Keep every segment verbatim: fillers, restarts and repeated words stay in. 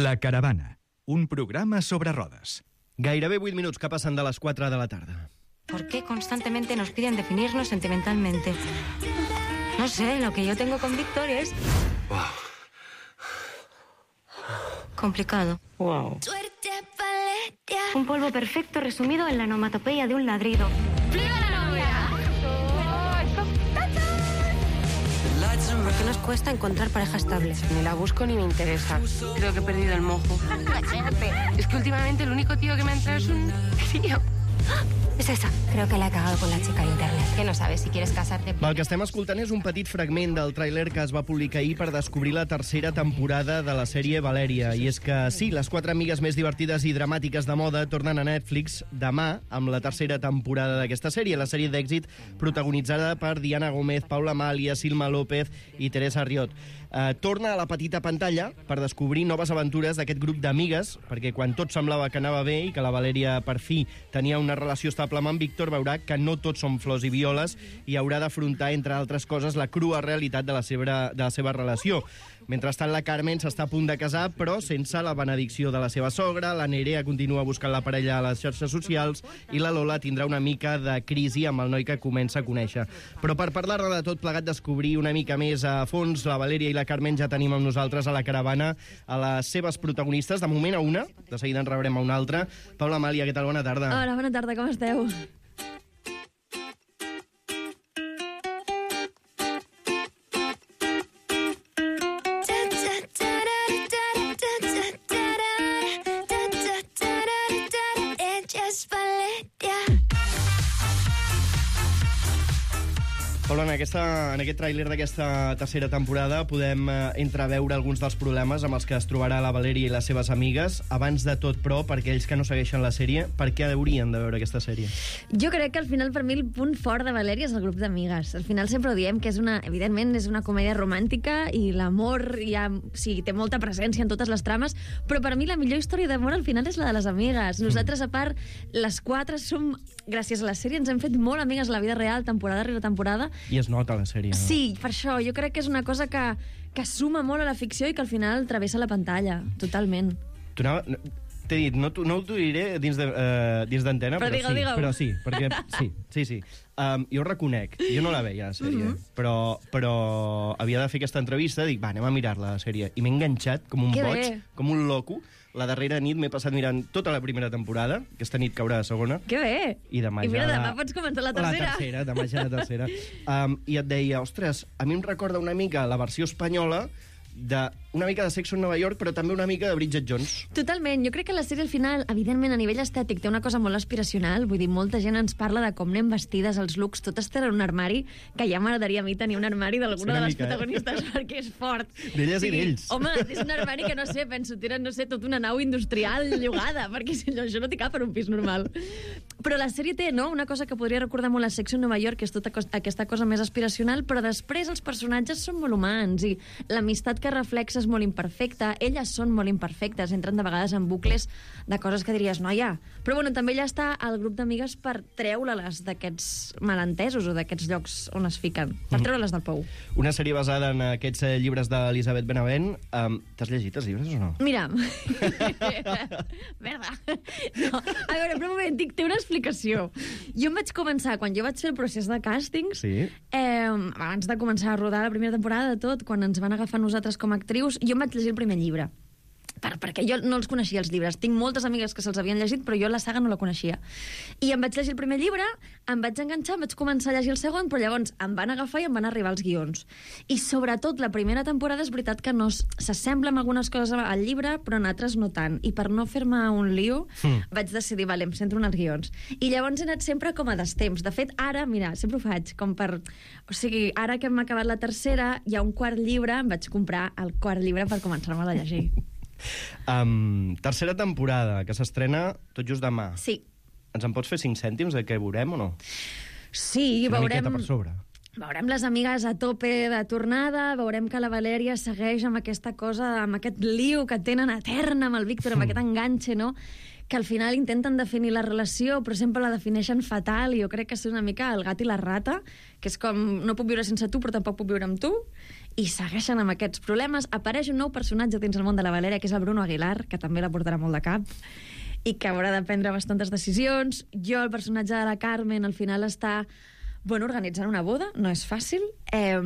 La Caravana, un programa sobre rodes. Gairebé vuit minuts que passen de les quatre de la tarda. ¿Por qué constantemente nos piden definirnos sentimentalmente? No sé, lo que yo tengo con Víctor es... Wow. complicado. Wow. Un polvo perfecto resumido en la onomatopeya de un ladrido. ¿Por qué nos cuesta encontrar pareja estable? Ni la busco ni me interesa. Creo que he perdido el mojo. Es que últimamente el único tío que me entra es un tío. Es esa. Creo que la he cagado con la chica de internet. Que no sabes si quieres casarte. El que estem escoltant és un petit fragment del tràiler que es va publicar ahir per descobrir la tercera temporada de la sèrie Valèria. I és que sí, les quatre amigues més divertides i dramàtiques de moda tornen a Netflix demà amb la tercera temporada d'aquesta sèrie, la sèrie d'èxit protagonitzada per Diana Gómez, Paula Amàlia, Silma López i Teresa Riot. Eh, torna a la petita pantalla per descobrir noves aventures d'aquest grup d'amigues, perquè quan tot semblava que anava bé i que la Valèria per fi tenia una relació estable amb en Víctor, veurà que no tots són flors i violes i haurà d'afrontar, entre altres coses, la crua realitat de la seva, de la seva relació. Mentrestant, la Carmen s'està a punt de casar, però sense la benedicció de la seva sogra, la Nerea continua buscant la parella a les xarxes socials i la Lola tindrà una mica de crisi amb el noi que comença a conèixer. Però per parlar-ne de tot plegat, descobrir una mica més a fons la Valèria i la Carmen, ja tenim amb nosaltres a la caravana a les seves protagonistes. De moment a una, de seguida en rebrem a una altra. Paula Amàlia, què tal? Bona tarda. Hola, bona tarda, com esteu? Paula, en, aquesta, en aquest tràiler d'aquesta tercera temporada podem eh, entreveure alguns dels problemes amb els que es trobarà la Valèria i les seves amigues. Abans de tot, però, per aquells que no segueixen la sèrie, per què haurien de veure aquesta sèrie? Jo crec que al final, per mi, el punt fort de Valèria és el grup d'amigues. Al final sempre ho diem, que és una, evidentment és una comèdia romàntica i l'amor ja, sí, té molta presència en totes les trames, però per mi la millor història d'amor al final és la de les amigues. Nosaltres, a part, les quatre som, gràcies a la sèrie, ens hem fet molt amigues a la vida real, temporada rere temporada. I es nota a la sèrie, no? Sí, per això. Jo crec que és una cosa que, que suma molt a la ficció i que al final travessa la pantalla, totalment. Tu anava... T'he dit, no, no t'ho diré dins d'antena, de, uh, però, però, digue, sí, digue. però sí, perquè sí, sí, sí. Um, jo ho reconec, jo no la veia, la sèrie, mm-hmm. però, però havia de fer aquesta entrevista, dic, va, anem a mirar-la, la sèrie, i m'he enganxat com un que boig, bé. com un loco. La darrera nit m'he passat mirant tota la primera temporada, aquesta nit caurà la segona. Que bé! I demà I mira, ja demà pots començar la tercera. La tercera, demà ja la tercera. Um, I et deia, ostres, a mi em recorda una mica la versió espanyola de una mica de Sexo en Nova York, però també una mica de Bridget Jones. Totalment. Jo crec que la sèrie al final, evidentment, a nivell estètic, té una cosa molt aspiracional. Vull dir, molta gent ens parla de com anem vestides, els looks, totes tenen un armari, que ja m'agradaria a mi tenir un armari d'alguna de les mica, protagonistes, eh? perquè és fort. D'elles sí, i d'ells. Home, és un armari que, no sé, penso, tenen, no sé, tota una nau industrial llogada, perquè si no, això no t'hi cap en un pis normal. Però la sèrie té, no?, una cosa que podria recordar molt a Sexo en Nova York, que és tota aquesta cosa més aspiracional, però després els personatges són molt humans i l'amistat que reflexa és molt imperfecta, elles són molt imperfectes, entren de vegades en bucles de coses que diries, noia. Però bueno, també ja està el grup d'amigues per treure-les d'aquests malentesos o d'aquests llocs on es fiquen, per treure-les del pou. Una sèrie basada en aquests eh, llibres d'Elisabet Benavent. Um, T'has llegit els llibres o no? Mira, merda. No. A veure, però un moment, dic, té una explicació. Jo em vaig començar, quan jo vaig fer el procés de càstings, sí. eh, abans de començar a rodar la primera temporada de tot, quan ens van agafar nosaltres com a actrius, jo em vaig llegir el primer llibre. Per, perquè jo no els coneixia, els llibres. Tinc moltes amigues que se'ls havien llegit, però jo la saga no la coneixia. I em vaig llegir el primer llibre, em vaig enganxar, em vaig començar a llegir el segon, però llavors em van agafar i em van arribar els guions. I sobretot la primera temporada és veritat que no s'assembla amb algunes coses al llibre, però en altres no tant. I per no fer-me un lío, mm. vaig decidir, vale, em centro en els guions. I llavors he anat sempre com a destemps. De fet, ara, mira, sempre ho faig, com per... O sigui, ara que hem acabat la tercera, hi ha un quart llibre, em vaig comprar el quart llibre per començar-me a llegir. Um, tercera temporada, que s'estrena tot just demà. Sí. Ens en pots fer cinc cèntims de què veurem o no? Sí, una veurem... miqueta per sobre. Veurem les amigues a tope de tornada, veurem que la Valèria segueix amb aquesta cosa, amb aquest liu que tenen eterna amb el Víctor, amb aquest enganxe, no?, que al final intenten definir la relació, però sempre la defineixen fatal, i jo crec que és una mica el gat i la rata, que és com, no puc viure sense tu, però tampoc puc viure amb tu, i segueixen amb aquests problemes. Apareix un nou personatge dins el món de la Valèria, que és el Bruno Aguilar, que també la portarà molt de cap, i que haurà de prendre bastantes decisions. Jo, el personatge de la Carmen, al final està... Bueno, organitzant una boda no és fàcil. Eh,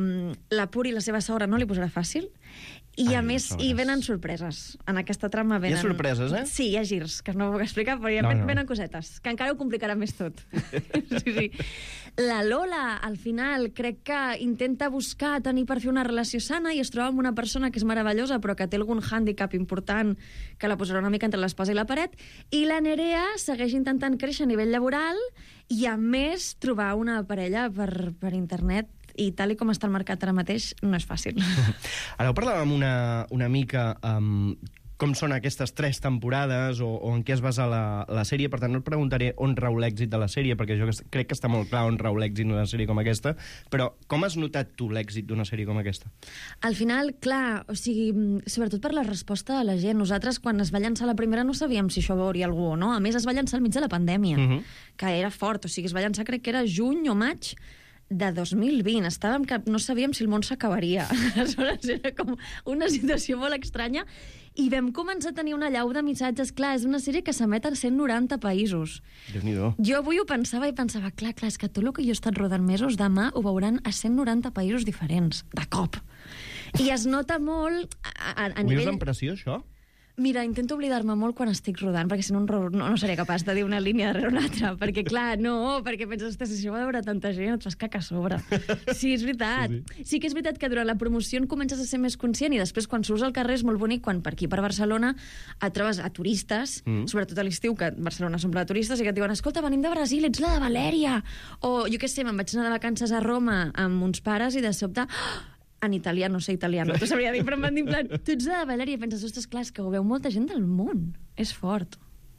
la Puri, la seva sogra, no li posarà fàcil. I, Ai, a més, sobres. hi venen sorpreses. En aquesta trama venen... Hi ha sorpreses, eh? Sí, hi ha girs, que no puc explicar, però hi ha No, no, no. venen cosetes, que encara ho complicarà més tot. Sí, sí. La Lola, al final, crec que intenta buscar tenir per fer una relació sana i es troba amb una persona que és meravellosa, però que té algun hàndicap important que la posarà una mica entre l'espasa i la paret. I la Nerea segueix intentant créixer a nivell laboral i, a més, trobar una parella per, per internet, i tal i com està el mercat ara mateix, no és fàcil. Ara ho parlàvem una, una mica um, com són aquestes tres temporades o, o en què es basa la, la sèrie, per tant no et preguntaré on rau l'èxit de la sèrie, perquè jo crec que està molt clar on rau l'èxit d'una sèrie com aquesta, però com has notat tu l'èxit d'una sèrie com aquesta? Al final, clar, o sigui, sobretot per la resposta de la gent. Nosaltres, quan es va llançar la primera, no sabíem si això veuria algú o no. A més, es va llançar al mig de la pandèmia, Uh-huh. que era fort. O sigui, es va llançar, crec que era juny o maig de dos mil vint. Estàvem que no sabíem si el món s'acabaria. Aleshores, era com una situació molt estranya. I vam començar a tenir una llau de missatges. Clar, és una sèrie que s'emet a cent noranta països. Déu-n'hi-do. Jo avui ho pensava i pensava, clar, clar, és que tot el que jo he estat rodant mesos, demà ho veuran a cent noranta països diferents, de cop. I es nota molt a, a, a Ho vius nivell... amb pressió, això? Mira, intento oblidar-me molt quan estic rodant, perquè si no, no, no seré capaç de dir una línia darrere una altra, perquè, clar, no, perquè penses, ostres, si això va veure tanta gent, et fas caca a sobre. Sí, és veritat. Sí, sí. sí que és veritat que durant la promoció en comences a ser més conscient i després, quan surts al carrer, és molt bonic quan per aquí, per Barcelona, et trobes a turistes, mm. sobretot a l'estiu, que Barcelona s'omple de turistes, i que et diuen, escolta, venim de Brasil, ets la de Valèria! O, jo què sé, me'n vaig anar de vacances a Roma amb uns pares i de sobte... Oh, en italià, no sé italiano, t'ho sabria dir, però em van dir en plan, tu ets de Valèria, i penses, ostres, clar, és que ho veu molta gent del món. És fort.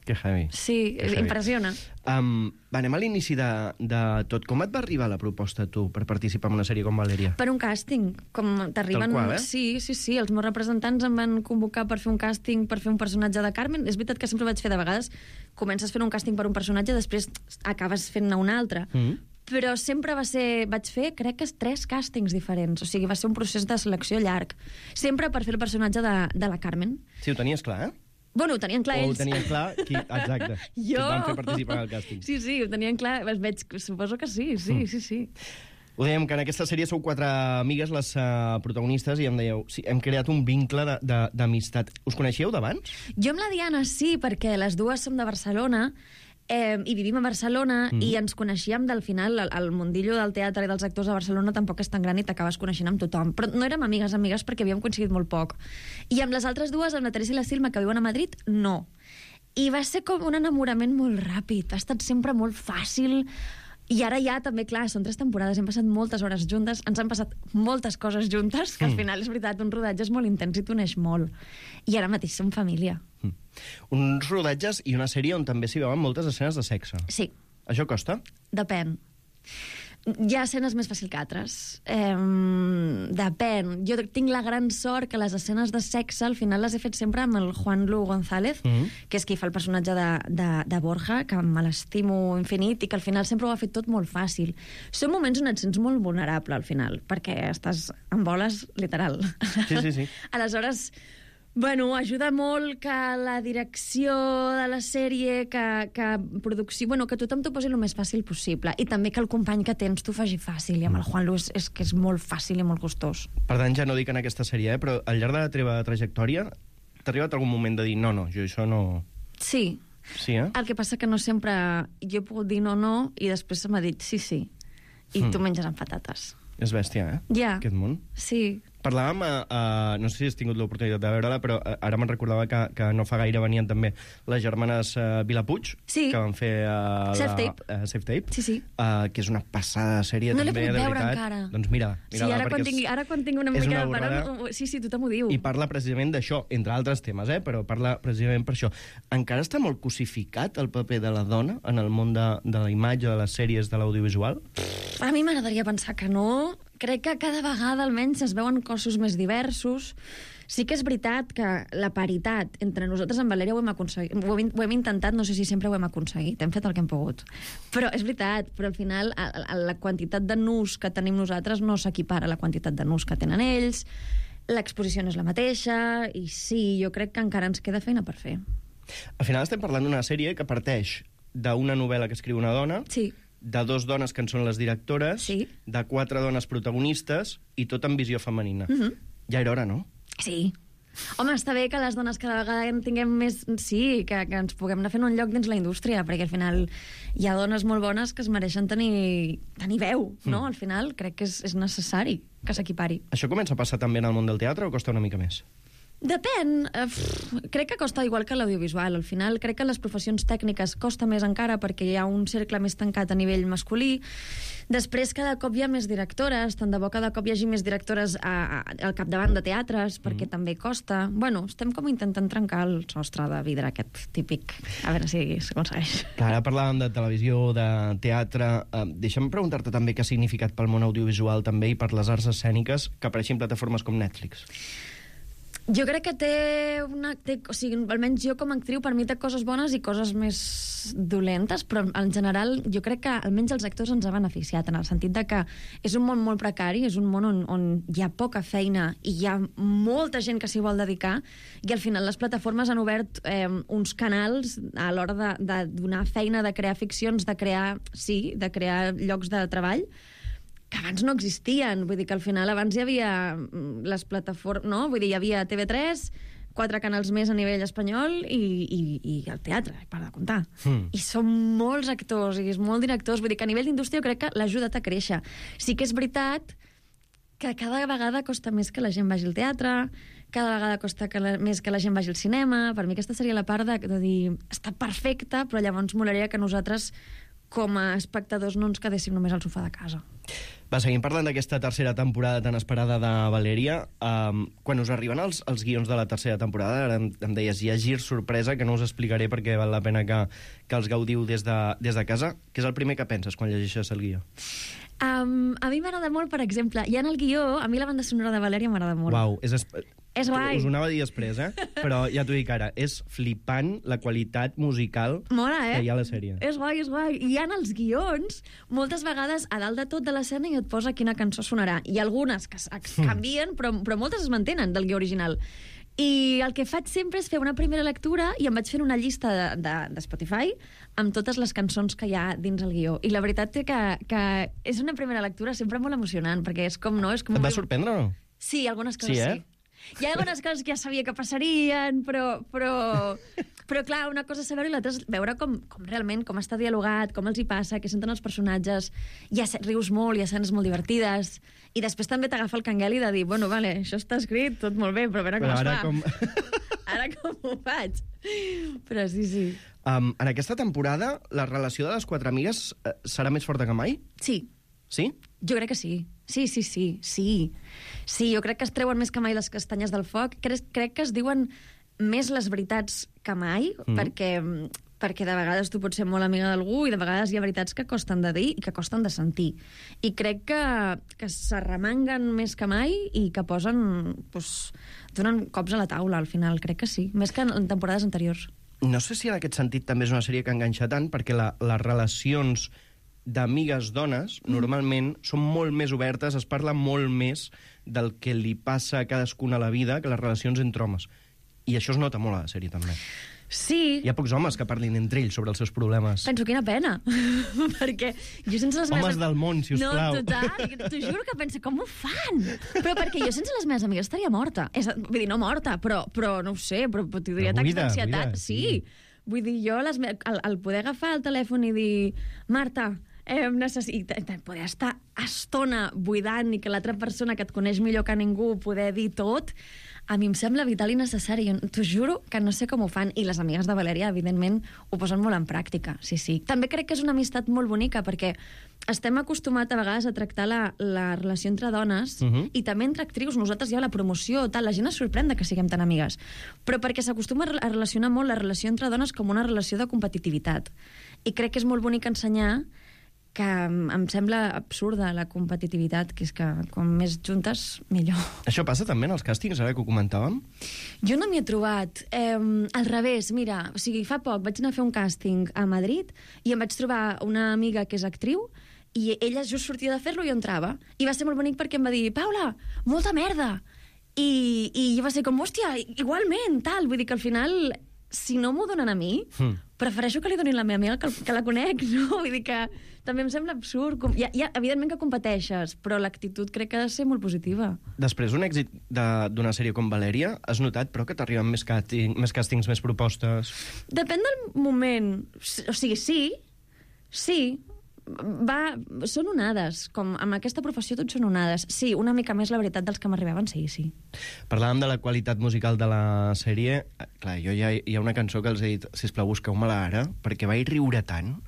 Que heavy. Sí, Que heavy. impressiona. Um, va, anem a l'inici de, de tot. Com et va arribar la proposta, tu, per participar en una sèrie com Valèria? Per un càsting, com t'arriben... Tal qual, eh? Sí, sí, sí, els meus representants em van convocar per fer un càsting, per fer un personatge de Carmen. És veritat que sempre vaig fer de vegades, comences fent un càsting per un personatge, després acabes fent-ne un altre. Mm. Però sempre va ser... Vaig fer, crec que tres càstings diferents. O sigui, va ser un procés de selecció llarg. Sempre per fer el personatge de, de la Carmen. Sí, ho tenies clar, eh? Bueno, ho tenien clar o ells. ho tenien clar, qui... exacte. Qui Jo... et van fer participar al càsting. Sí, sí, ho tenien clar. Es veig, suposo que sí, sí, Mm. sí, sí. Ho dèiem, que en aquesta sèrie sou quatre amigues, les uh, protagonistes, i em dèieu, sí, hem creat un vincle de- de- d'amistat. Us coneixíeu d'abans? Jo amb la Diana sí, perquè les dues som de Barcelona, eh, i vivim a Barcelona, mm. i ens coneixíem del final. El, el mundillo del teatre i dels actors a Barcelona tampoc és tan gran i t'acabes coneixent amb tothom. Però no érem amigues, amigues, perquè havíem coincidit molt poc. I amb les altres dues, amb la Teresa i la Silma, que viuen a Madrid, no. I va ser com un enamorament molt ràpid. Ha estat sempre molt fàcil. I ara ja també, clar, són tres temporades, hem passat moltes hores juntes, ens han passat moltes coses juntes, que al final és veritat, un rodatge és molt intens i t'uneix molt. I ara mateix som família. Mm. Uns rodatges i una sèrie on també s'hi veuen moltes escenes de sexe. Sí, Això costa? depèn. Hi ha escenes més fàcils que altres. Eh, depèn. Jo tinc la gran sort que les escenes de sexe al final les he fet sempre amb el Juan Lu González, Mhm. que és qui fa el personatge de, de, de Borja, que me l'estimo infinit i que al final sempre ho ha fet tot molt fàcil. Són moments on et sents molt vulnerable al final, perquè estàs en boles literal. Sí, sí, sí. Aleshores, bueno, ajuda molt que la direcció de la sèrie, que, que producció... Bueno, que tothom t'ho posi el més fàcil possible. I també que el company que tens t'ho faci fàcil. I amb el Juan Luis és que és molt fàcil i molt gustós. Per tant, ja no dic en aquesta sèrie, eh, però al llarg de la teva trajectòria t'ha arribat algun moment de dir no, no, jo això no... Sí. Sí, eh? El que passa que no sempre... Jo he pogut dir no, no, i després se m'ha dit sí, sí. I Mm. tu menges amb patates. És bèstia, eh? Ja. Aquest món. Sí. Parlàvem, uh, no sé si has tingut l'oportunitat de veure-la, però uh, ara me'n recordava que, que no fa gaire venien també les germanes uh, Vilapuig, sí. que van fer uh, Safe Tape, uh, Safe Tape sí, sí. Uh, que és una passada de sèrie no també, de veritat. No l'he pogut veure encara. Doncs mira, mira sí, ara, quan tingui, ara quan tingui una mica una de paró, sí, sí, tothom ho diu. I parla precisament d'això, entre altres temes, eh? Però parla precisament per això. Encara està molt cosificat el paper de la dona en el món de, de la imatge, de les sèries, de l'audiovisual? A mi m'agradaria pensar que no. Crec que cada vegada almenys es veuen cossos més diversos. Sí que és veritat que la paritat entre nosaltres en Valèria ho hem aconseguit. Ho hem, ho hem intentat, no sé si sempre ho hem aconseguit. Hem fet el que hem pogut. Però és veritat, però al final a, a la quantitat de nus que tenim nosaltres no s'equipara a la quantitat de nus que tenen ells. L'exposició no és la mateixa i sí, jo crec que encara ens queda feina per fer. Al final estem parlant d'una sèrie que parteix d'una novel·la que escriu una dona, sí. de dos dones que en són les directores, sí. de quatre dones protagonistes i tot amb visió femenina. Mm -hmm. Ja era hora, no? Sí. Home, està bé que les dones cada vegada en tinguem més... Sí, que, que ens puguem anar fent un lloc dins la indústria, perquè al final hi ha dones molt bones que es mereixen tenir, tenir veu, no? Mm. Al final crec que és, és necessari que s'equipari. Això comença a passar també en el món del teatre o costa una mica més? Depèn. Uh, crec que costa igual que l'audiovisual. Al final crec que les professions tècniques costa més encara perquè hi ha un cercle més tancat a nivell masculí. Després cada cop hi ha més directores, tant de bo cada cop hi hagi més directores a, a, al capdavant de teatres, perquè mm. també costa. Bueno, estem com intentant trencar el sostre de vidre aquest típic. A veure si s'aconsegueix. Ara parlàvem de televisió, de teatre. Uh, deixa'm preguntar-te també què ha significat pel món audiovisual també i per les arts escèniques que apareixin plataformes com Netflix. Jo crec que té una... Té, o sigui, almenys jo com a actriu, per mi té coses bones i coses més dolentes, però en general jo crec que almenys els actors ens ha beneficiat, en el sentit de que és un món molt precari, és un món on, on hi ha poca feina i hi ha molta gent que s'hi vol dedicar, i al final les plataformes han obert eh, uns canals a l'hora de, de donar feina, de crear ficcions, de crear, sí, de crear llocs de treball, que abans no existien. Vull dir que al final abans hi havia les plataformes, no? Vull dir, hi havia T V tres, quatre canals més a nivell espanyol i, i, i el teatre, per de comptar. Mm. I són molts actors i molts directors. Vull dir que a nivell d'indústria jo crec que l'ha ajudat a créixer. Sí que és veritat que cada vegada costa més que la gent vagi al teatre, cada vegada costa que la, més que la gent vagi al cinema. Per mi aquesta seria la part de, de dir està perfecta, però llavors molaria que nosaltres com a espectadors no ens quedéssim només al sofà de casa. Va, seguim parlant d'aquesta tercera temporada tan esperada de Valèria. Um, quan us arriben els, els guions de la tercera temporada, ara em, em deies, hi ha gir sorpresa, que no us explicaré perquè val la pena que, que els gaudiu des de, des de casa. Què és el primer que penses quan llegeixes el guió? Um, a mi m'agrada molt, per exemple, ja en el guió, a mi la banda sonora de Valèria m'agrada molt. Uau, és... És guai. Us ho anava a dir després, eh? Però ja t'ho dic ara, és flipant la qualitat musical Mola, eh? que hi ha a la sèrie. És guai, és guai. I hi ha els guions, moltes vegades a dalt de tot de l'escena i et posa quina cançó sonarà. Hi ha algunes que es canvien, però, però moltes es mantenen del guió original. I el que faig sempre és fer una primera lectura i em vaig fent una llista de, de, de Spotify amb totes les cançons que hi ha dins el guió. I la veritat és que, que és una primera lectura sempre molt emocionant, perquè és com, no? És com Et va molt... sorprendre o no? Sí, algunes coses sí. Eh? sí. Hi ha algunes coses que ja sabia que passarien, però, però, però clar, una cosa és saber-ho i l'altra és veure com, com realment, com està dialogat, com els hi passa, què senten els personatges. Hi ha rius molt, hi ha escenes molt divertides, i després també t'agafa el cangueli de dir, bueno, vale, això està escrit, tot molt bé, però a veure com però es ara fa. Com... Ara com ho faig? Però sí, sí. Um, en aquesta temporada, la relació de les quatre amigues uh, serà més forta que mai? Sí. Sí? Jo crec que sí. Sí, sí, sí, sí. Sí, jo crec que es treuen més que mai les castanyes del foc. Crec, crec que es diuen més les veritats que mai, mm. perquè, perquè de vegades tu pots ser molt amiga d'algú i de vegades hi ha veritats que costen de dir i que costen de sentir. I crec que, que s'arremanguen més que mai i que posen... Doncs, donen cops a la taula, al final. Crec que sí. Més que en temporades anteriors. No sé si en aquest sentit també és una sèrie que enganxa tant, perquè la, les relacions d'amigues dones, mm. normalment, són molt més obertes, es parla molt més del que li passa a cadascuna a la vida que les relacions entre homes. I això es nota molt a la sèrie, també. Sí. Hi ha pocs homes que parlin entre ells sobre els seus problemes. Penso, quina pena. Perquè jo sense les Homes meves... del món, si us no, plau. No, total. T'ho juro que penso, com ho fan? Però perquè jo sense les meves amigues estaria morta. És, vull dir, no morta, però, però no ho sé, però, però tindria atacs d'ansietat. Sí. sí. Vull dir, jo les me... el, el poder agafar el telèfon i dir Marta, eh, necessita poder estar estona buidant i que l'altra persona que et coneix millor que ningú poder dir tot, a mi em sembla vital i necessari. T'ho juro que no sé com ho fan. I les amigues de Valèria, evidentment, ho posen molt en pràctica. Sí, sí. També crec que és una amistat molt bonica, perquè estem acostumats a vegades a tractar la, la relació entre dones uh-huh. i també entre actrius. Nosaltres ja la promoció, tal, la gent es sorprèn de que siguem tan amigues. Però perquè s'acostuma a relacionar molt la relació entre dones com una relació de competitivitat. I crec que és molt bonic ensenyar que em sembla absurda la competitivitat, que és que com més juntes, millor. Això passa també en els càstings, ara que ho comentàvem? Jo no m'hi he trobat. Eh, al revés, mira, o sigui, fa poc vaig anar a fer un càsting a Madrid i em vaig trobar una amiga que és actriu i ella just sortia de fer-lo i jo entrava. I va ser molt bonic perquè em va dir, Paula, molta merda! I, i jo va ser com, hòstia, igualment, tal. Vull dir que al final, si no m'ho donen a mi, mm. prefereixo que li donin la meva amiga que, que la conec, no? Vull dir que també em sembla absurd. Com, ja, ja, evidentment que competeixes, però l'actitud crec que ha de ser molt positiva. Després d'un èxit d'una sèrie com Valèria, has notat, però, que t'arriben més, càsting, més càstings, més propostes? Depèn del moment. O sigui, sí, sí, va, són onades. Com amb aquesta professió tot són onades. Sí, una mica més la veritat dels que m'arribaven, sí, sí. Parlàvem de la qualitat musical de la sèrie. Clar, jo ja hi ha una cançó que els he dit, sisplau, busqueu-me-la ara, perquè vaig riure tant.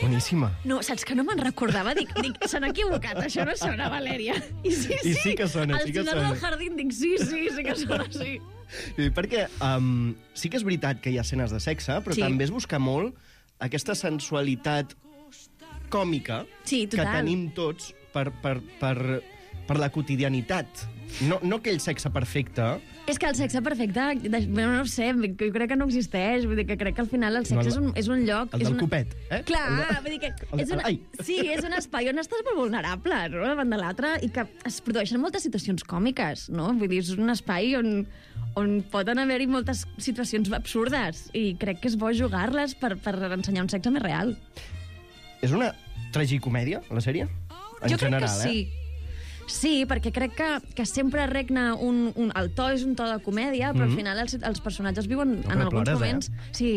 Boníssima. No, saps que no me'n recordava? Dic, dic s'han equivocat, això no sona Valèria. I sí, sí, I sí que sona, sí que sona. Al final del jardín dic, sí, sí, sí que sona, sí. Sí, perquè um, sí que és veritat que hi ha escenes de sexe, però sí. també es busca molt aquesta sensualitat còmica sí, que tenim tots per, per, per, per la quotidianitat. No, no aquell sexe perfecte. És que el sexe perfecte, no, no sé, jo crec que no existeix. Vull dir que crec que al final el sexe no, és, un, és un lloc... El del una... copet, eh? Clar, de... vull dir que és una... sí, és un espai on estàs molt vulnerable, no?, davant de l'altre, i que es produeixen moltes situacions còmiques, no? Vull dir, és un espai on, on poden haver-hi moltes situacions absurdes, i crec que és bo jugar-les per, per ensenyar un sexe més real. És una tragicomèdia, la sèrie? En jo general, crec que sí. Eh? Sí, perquè crec que, que sempre regna un, un... El to és un to de comèdia, però mm-hmm. al final els, els personatges viuen no, en alguns plores, moments... Eh? Sí.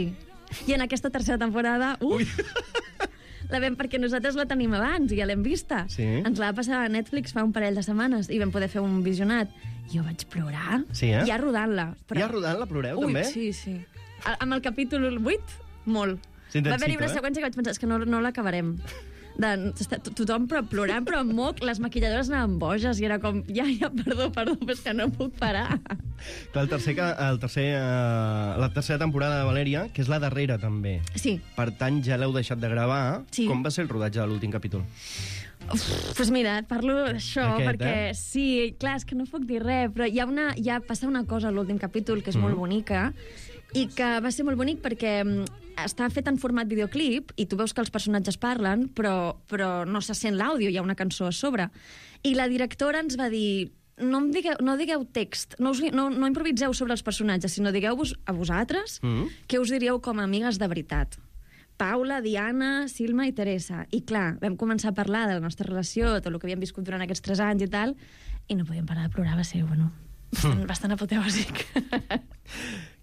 I en aquesta tercera temporada... Uf! La vam, perquè nosaltres la tenim abans i ja l'hem vista. Sí. Ens la va passar a Netflix fa un parell de setmanes i vam poder fer un visionat. Jo vaig plorar, sí, eh? ja rodant-la. Però... Ja rodant-la ploreu, Ui, també? Sí, sí. A, amb el capítol vuit, molt. Va haver-hi una eh? seqüència que vaig pensar, és que no, no l'acabarem. De, tothom però plorant, però amb moc, les maquilladores anaven boges i era com, ja, ja, perdó, perdó, però és que no puc parar. Clar, el tercer, el tercer, uh, la tercera temporada de Valèria, que és la darrera, també. Sí. Per tant, ja l'heu deixat de gravar. Sí. Com va ser el rodatge de l'últim capítol? Uf, pues mira, parlo d'això, perquè eh? sí, clar, és que no puc dir res, però hi ha, una, hi ha passa una cosa a l'últim capítol que és mm. molt bonica, i que va ser molt bonic perquè està fet en format videoclip i tu veus que els personatges parlen, però, però no se sent l'àudio, hi ha una cançó a sobre. I la directora ens va dir, no, em digueu, no digueu text, no, us, no, no improviseu sobre els personatges, sinó digueu-vos a vosaltres mm. què us diríeu com a amigues de veritat. Paula, Diana, Silma i Teresa. I clar, vam començar a parlar de la nostra relació, tot el que havíem viscut durant aquests tres anys i tal, i no podíem parar de plorar, va ser, bueno, bastant, bastant apoteòsic.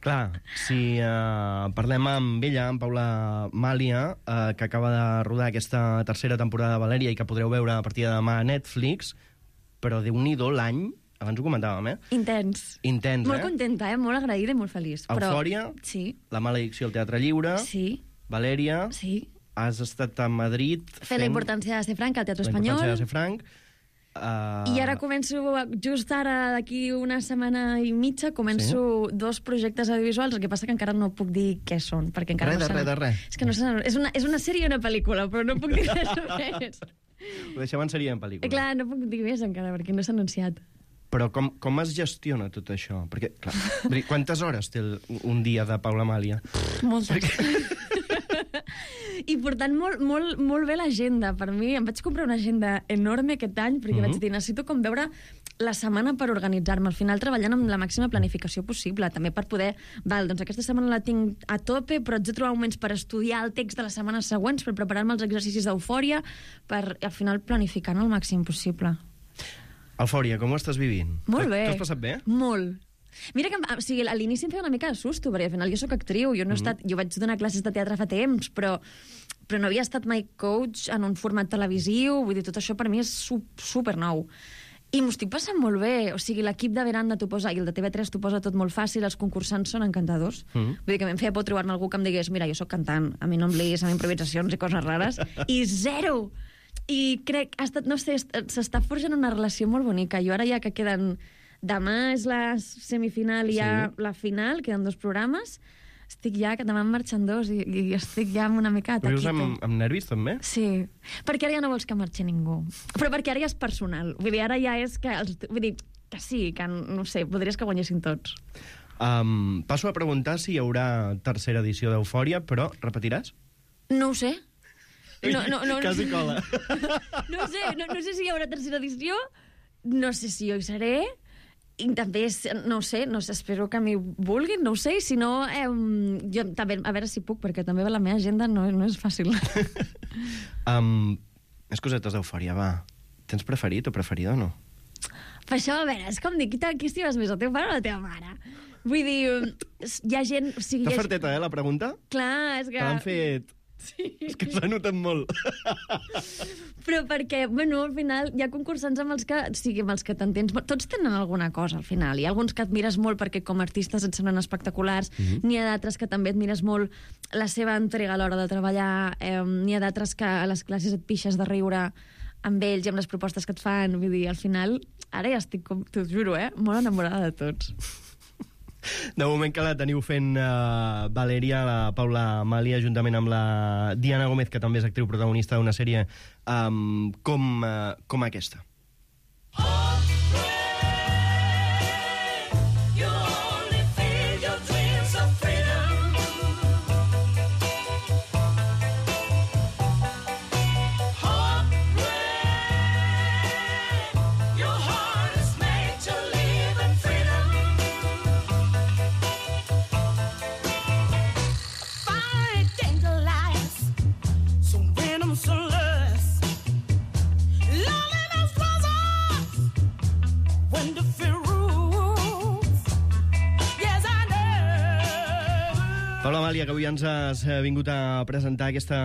Clar, si uh, parlem amb ella, amb Paula Màlia, uh, que acaba de rodar aquesta tercera temporada de Valèria i que podreu veure a partir de demà a Netflix, però Déu-n'hi-do l'any, abans ho comentàvem, eh? Intens. Intens, molt eh? Molt contenta, eh? Molt agraïda i molt feliç. Eufòria, però... sí. La maledicció al Teatre Lliure, sí. Valèria, sí. Has estat a Madrid... Fent, fent la importància de ser franc al Teatre Espanyol. La importància de ser franc. Uh... I ara començo, just ara, d'aquí una setmana i mitja, començo sí? dos projectes audiovisuals, el que passa que encara no puc dir què són, perquè encara res, no res, res, res. És que no sé, és una, és una sèrie i una pel·lícula, però no puc dir res més. Ho deixem en sèrie i en pel·lícula. Clar, no puc dir més encara, perquè no s'ha anunciat. Però com, com es gestiona tot això? Perquè, clar, quantes hores té el, un dia de Paula Màlia? Moltes. I portant molt, molt, molt bé l'agenda. Per mi, em vaig comprar una agenda enorme aquest any, perquè mm-hmm. vaig dir, necessito com veure la setmana per organitzar-me. Al final, treballant amb la màxima planificació possible, també per poder... Val, doncs aquesta setmana la tinc a tope, però haig de trobar moments per estudiar el text de les setmanes següents, per preparar-me els exercicis d'eufòria, per, al final, planificant el màxim possible. Eufòria, com ho estàs vivint? Molt bé. T'ho has passat bé? Molt. Mira que o sigui, a l'inici em feia una mica de susto, perquè al final jo sóc actriu, jo no he estat, jo vaig donar classes de teatre fa temps, però, però no havia estat mai coach en un format televisiu, vull dir, tot això per mi és super nou. I m'ho estic passant molt bé, o sigui, l'equip de Veranda t'ho posa, i el de T V tres t'ho posa tot molt fàcil, els concursants són encantadors. Mm. Vull dir que a mi em feia por trobar-me algú que em digués, mira, jo sóc cantant, a mi no em liguis amb improvisacions i coses rares, i zero! I crec, ha estat, no sé, s'està forjant una relació molt bonica. Jo ara ja que queden... Demà és la semifinal i sí. ja la final, queden dos programes. Estic ja, que demà en marxen dos i, i estic ja amb una mica taquito. Vius amb, amb nervis, també? Sí, perquè ara ja no vols que marxi ningú. Però perquè ara ja és personal. Vull dir, ara ja és que... Els, vull dir, que sí, que no sé, podries que guanyessin tots. Um, passo a preguntar si hi haurà tercera edició d'Eufòria, però repetiràs? No ho sé. No, no, no, Quasi cola. No ho sé, no, no sé si hi haurà tercera edició, no sé si jo hi seré... I també, no ho sé, no sé, espero que m'hi vulguin, no ho sé, i si no, eh, jo també, a veure si puc, perquè també la meva agenda no, no és fàcil. um, més cosetes d'Eufòria, va. Tens preferit o preferida o no? Per això, a veure, és com dir, qui, qui estimes més, el teu pare o la teva mare? Vull dir, hi ha gent... O sigui, T'ha ha... farteta, eh, la pregunta? Clar, és que... Te l'han fet... Sí. És que s'ha notat molt. Però perquè, bueno, al final hi ha concursants amb els que, o sigui, amb els que t'entens... Tots tenen alguna cosa, al final. Hi ha alguns que admires molt perquè com a artistes et semblen espectaculars, mm-hmm. n'hi ha d'altres que també admires molt la seva entrega a l'hora de treballar, eh, n'hi ha d'altres que a les classes et pixes de riure amb ells i amb les propostes que et fan. Vull dir, al final, ara ja estic, com t'ho juro, eh, molt enamorada de tots. De moment que la teniu fent uh, Valèria, la Paula Amàlia, juntament amb la Diana Gómez, que també és actriu protagonista d'una sèrie um, com, uh, com aquesta. Paula Amàlia, que avui ens has vingut a presentar aquesta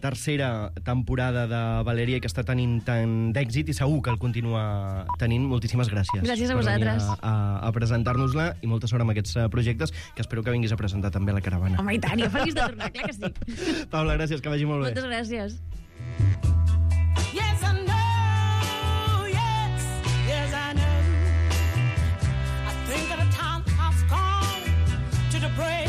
tercera temporada de Valèria i que està tenint tant d'èxit i segur que el continua tenint. Moltíssimes gràcies. Gràcies a vosaltres. Per venir a, a, a presentar-nos-la i molta sort amb aquests projectes que espero que vinguis a presentar també a la caravana. Home, i tant, jo feliç de tornar, clar que sí. Paula, gràcies, que vagi molt bé. Moltes gràcies. Yes, I know, yes, yes, I know. I think that the time has come to the break.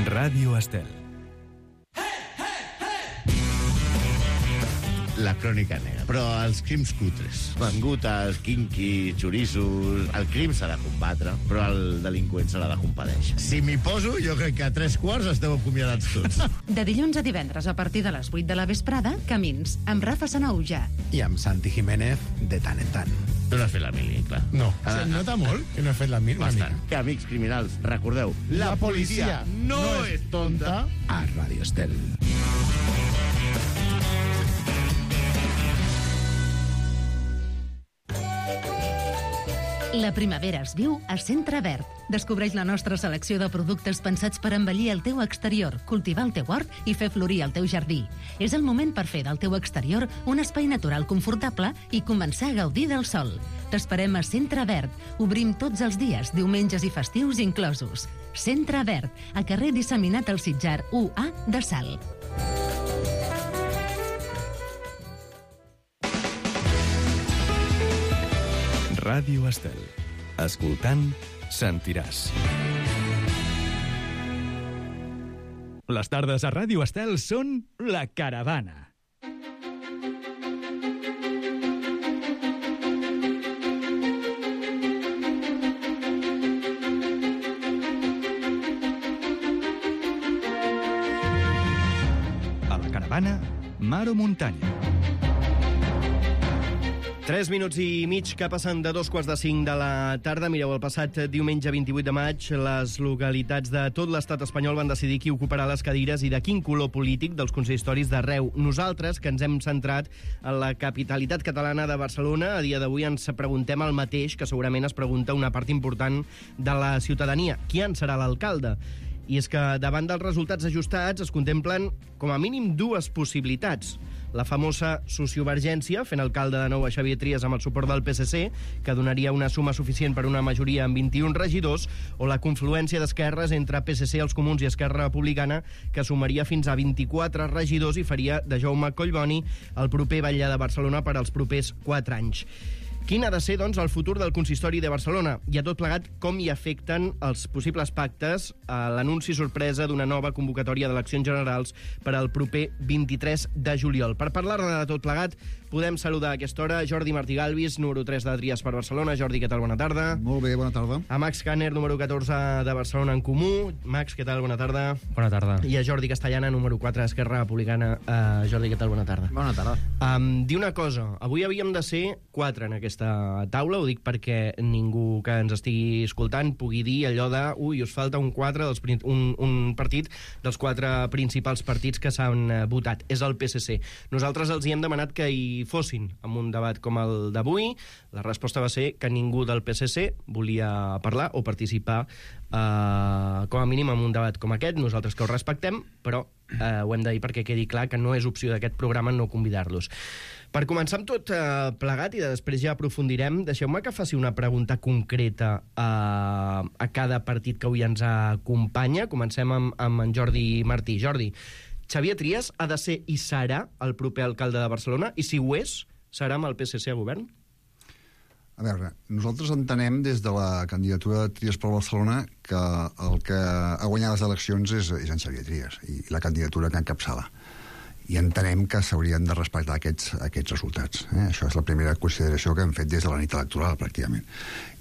Ràdio Estel. la crònica negra. Però els crims cutres, mangutes, kinky, xorissos... El crim s'ha de combatre, però el delinqüent se l'ha de compadèixer. Si m'hi poso, jo crec que a tres quarts esteu acomiadats tots. De dilluns a divendres, a partir de les vuit de la vesprada, Camins, amb Rafa Sanauja. I amb Santi Jiménez, de tant en tant. Tu no has fet la mili, clar. No. Ah, Se nota molt que no he fet la mili. Bastant. Que, amics criminals, recordeu, la, la policia, policia no, no és tonta a Radio Estel. La primavera es viu a Centre Verd. Descobreix la nostra selecció de productes pensats per embellir el teu exterior, cultivar el teu hort i fer florir el teu jardí. És el moment per fer del teu exterior un espai natural confortable i començar a gaudir del sol. T'esperem a Centre Verd. Obrim tots els dies, diumenges i festius inclosos. Centre Verd, a carrer Disseminat al Sitjar u A de Salt. Ràdio Estel. Escoltant, sentiràs. Les tardes a Ràdio Estel són La Caravana. A La Caravana, mar o muntanya. Tres minuts i mig que passen de dos quarts de cinc de la tarda. Mireu, el passat diumenge vint-i-vuit de maig, les localitats de tot l'estat espanyol van decidir qui ocuparà les cadires i de quin color polític dels consistoris d'arreu. Nosaltres, que ens hem centrat en la capitalitat catalana de Barcelona, a dia d'avui ens preguntem el mateix que segurament es pregunta una part important de la ciutadania. Qui en serà l'alcalde? I és que davant dels resultats ajustats es contemplen com a mínim dues possibilitats. La famosa sociovergència, fent alcalde de nou a Xavier Trias amb el suport del P S C, que donaria una suma suficient per una majoria amb vint-i-un regidors, o la confluència d'esquerres entre P S C, els Comuns i Esquerra Republicana, que sumaria fins a vint-i-quatre regidors i faria de Jaume Collboni el proper batlle de Barcelona per als propers quatre anys. Quin ha de ser, doncs, el futur del consistori de Barcelona? I a tot plegat, com hi afecten els possibles pactes a l'anunci sorpresa d'una nova convocatòria d'eleccions generals per al proper vint-i-tres de juliol. Per parlar de tot plegat, podem saludar a aquesta hora Jordi Martí Galvis, número tres de Trias per Barcelona. Jordi, què tal? Bona tarda. Molt bé, bona tarda. A Max Kanner, número catorze de Barcelona en Comú. Max, què tal? Bona tarda. Bona tarda. I a Jordi Castellana, número quatre d'Esquerra Republicana. Uh, Jordi, què tal? Bona tarda. Bona tarda. Um, di una cosa, avui havíem de ser quatre en aquesta taula, ho dic perquè ningú que ens estigui escoltant pugui dir allò de ui, us falta un, quatre dels, un, un partit dels quatre principals partits que s'han votat. És el P S C. Nosaltres els hi hem demanat que hi fossin en un debat com el d'avui. La resposta va ser que ningú del P S C volia parlar o participar eh, com a mínim en un debat com aquest. Nosaltres que ho respectem, però eh, ho hem de dir perquè quedi clar que no és opció d'aquest programa no convidar-los. Per començar amb tot eh, plegat i després ja aprofundirem, deixeu-me que faci una pregunta concreta a, a cada partit que avui ens acompanya. Comencem amb, amb en Jordi Martí. Jordi, Xavier Trias ha de ser i serà el proper alcalde de Barcelona? I si ho és, serà amb el P S C a govern? A veure, nosaltres entenem des de la candidatura de Trias per Barcelona que el que ha guanyat les eleccions és, és en Xavier Trias i la candidatura que encapçala. I entenem que s'haurien de respectar aquests, aquests resultats. Eh? Això és la primera consideració que hem fet des de la nit electoral, pràcticament.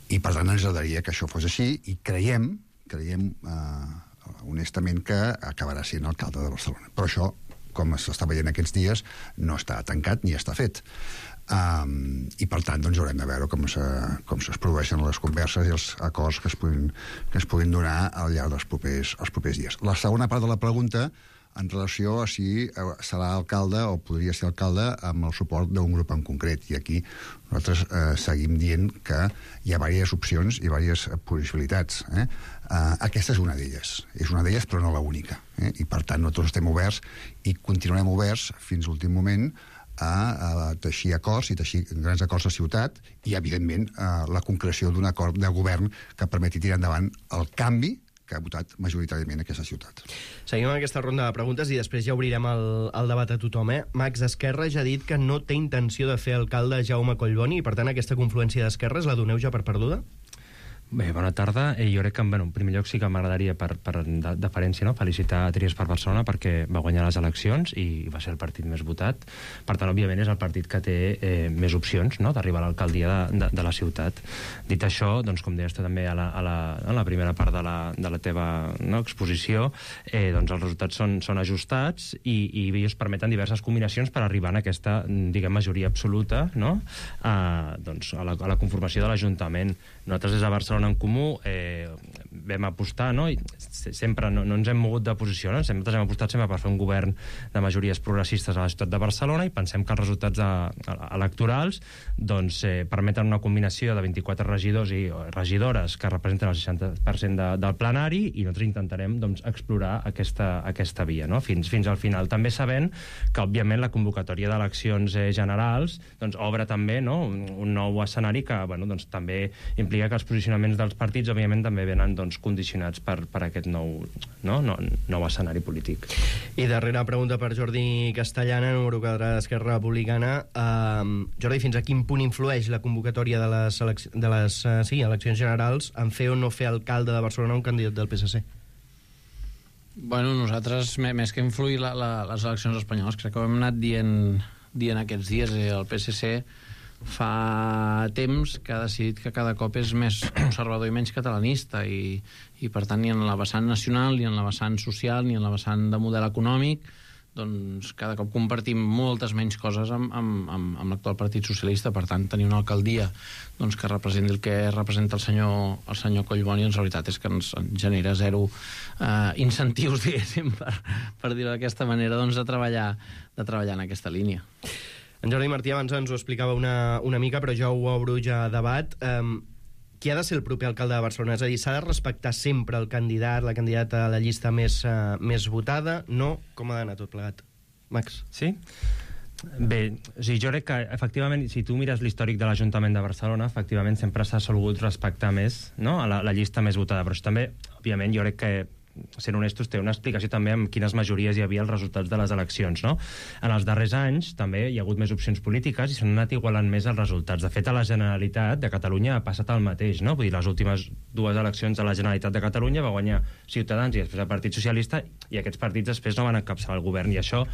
I, per tant, ens agradaria que això fos així i creiem, creiem eh, honestament, que acabarà sent alcalde de Barcelona. Però això, com s'està veient aquests dies, no està tancat ni està fet. Um, I, per tant, doncs, haurem de veure com, se, com es produeixen les converses i els acords que es puguin, que es puguin donar al llarg dels propers, els propers dies. La segona part de la pregunta en relació a si serà alcalde o podria ser alcalde amb el suport d'un grup en concret. I aquí nosaltres eh, seguim dient que hi ha diverses opcions i diverses possibilitats. Eh? Eh, aquesta és una d'elles. És una d'elles, però no l'única. Eh? I, per tant, nosaltres estem oberts i continuarem oberts fins a l'últim moment a, a teixir acords i teixir grans acords de ciutat i, evidentment, a la concreció d'un acord de govern que permeti tirar endavant el canvi que ha votat majoritàriament aquesta ciutat. Seguim amb aquesta ronda de preguntes i després ja obrirem el, el debat a tothom. Eh? Max, Esquerra ja ha dit que no té intenció de fer alcalde Jaume Collboni i, per tant, aquesta confluència d'esquerres la doneu ja per perduda? Bé, bona tarda. Eh, jo crec que, bueno, en primer lloc sí que m'agradaria, per, per de, deferència, no? felicitar a Trias per Barcelona perquè va guanyar les eleccions i va ser el partit més votat. Per tant, òbviament, és el partit que té eh, més opcions, no?, d'arribar a l'alcaldia de, de, de la ciutat. Dit això, doncs, com deies tu també a la, a la, a la primera part de la, de la teva no, exposició, eh, doncs els resultats són, són ajustats i, i ells permeten diverses combinacions per arribar a aquesta, diguem, majoria absoluta, no?, a, doncs, a, la, a la conformació de l'Ajuntament. Nosaltres des de Barcelona en Comú eh, vam apostar, no? I sempre no, no ens hem mogut de posició, no? Sempre hem apostat sempre per fer un govern de majories progressistes a la ciutat de Barcelona i pensem que els resultats de, electorals doncs, eh, permeten una combinació de vint-i-quatre regidors i regidores que representen el seixanta per cent de, del plenari i nosaltres intentarem doncs, explorar aquesta, aquesta via, no? fins, fins al final. També sabent que, òbviament, la convocatòria d'eleccions eh, generals doncs, obre també, no? un, un nou escenari que bueno, doncs, també implica que els posicionaments dels partits, òbviament, també venen doncs, condicionats per, per aquest nou, no? No, nou escenari polític. I darrera pregunta per Jordi Castellana, número quatre d'Esquerra Republicana. Uh, Jordi, fins a quin punt influeix la convocatòria de les, elec de les uh, sí, eleccions generals en fer o no fer alcalde de Barcelona un candidat del P S C? Bueno, nosaltres, més que influir la, la, les eleccions espanyoles, crec que ho hem anat dient, dient aquests dies. Eh, el P S C fa temps que ha decidit que cada cop és més conservador i menys catalanista i, i per tant ni en la vessant nacional, ni en la vessant social, ni en la vessant de model econòmic doncs cada cop compartim moltes menys coses amb, amb, amb, amb l'actual Partit Socialista. Per tant, tenir una alcaldia doncs, que representi el que representa el senyor, el senyor Collboni, doncs la veritat és que ens genera zero eh, incentius, diguéssim, per, per dir-ho d'aquesta manera, doncs, de treballar, de treballar en aquesta línia. En Jordi Martí abans ens ho explicava una, una mica, però jo ho obro ja a debat. Um, qui ha de ser el proper alcalde de Barcelona? És a dir, s'ha de respectar sempre el candidat, la candidata a la llista més, uh, més votada? No? Com ha d'anar tot plegat? Max? Sí? Bé, o sigui, jo crec que, efectivament, si tu mires l'històric de l'Ajuntament de Barcelona, efectivament sempre s'ha solgut respectar més, no?, a la, la llista més votada. Però això també, òbviament, jo crec que sent honestos, té una explicació també amb quines majories hi havia als resultats de les eleccions, no? En els darrers anys també hi ha hagut més opcions polítiques i s'han anat igualant més els resultats. De fet, a la Generalitat de Catalunya ha passat el mateix, no? Vull dir, les últimes dues eleccions de la Generalitat de Catalunya va guanyar Ciutadans i després el Partit Socialista i aquests partits després no van encapçalar el govern i això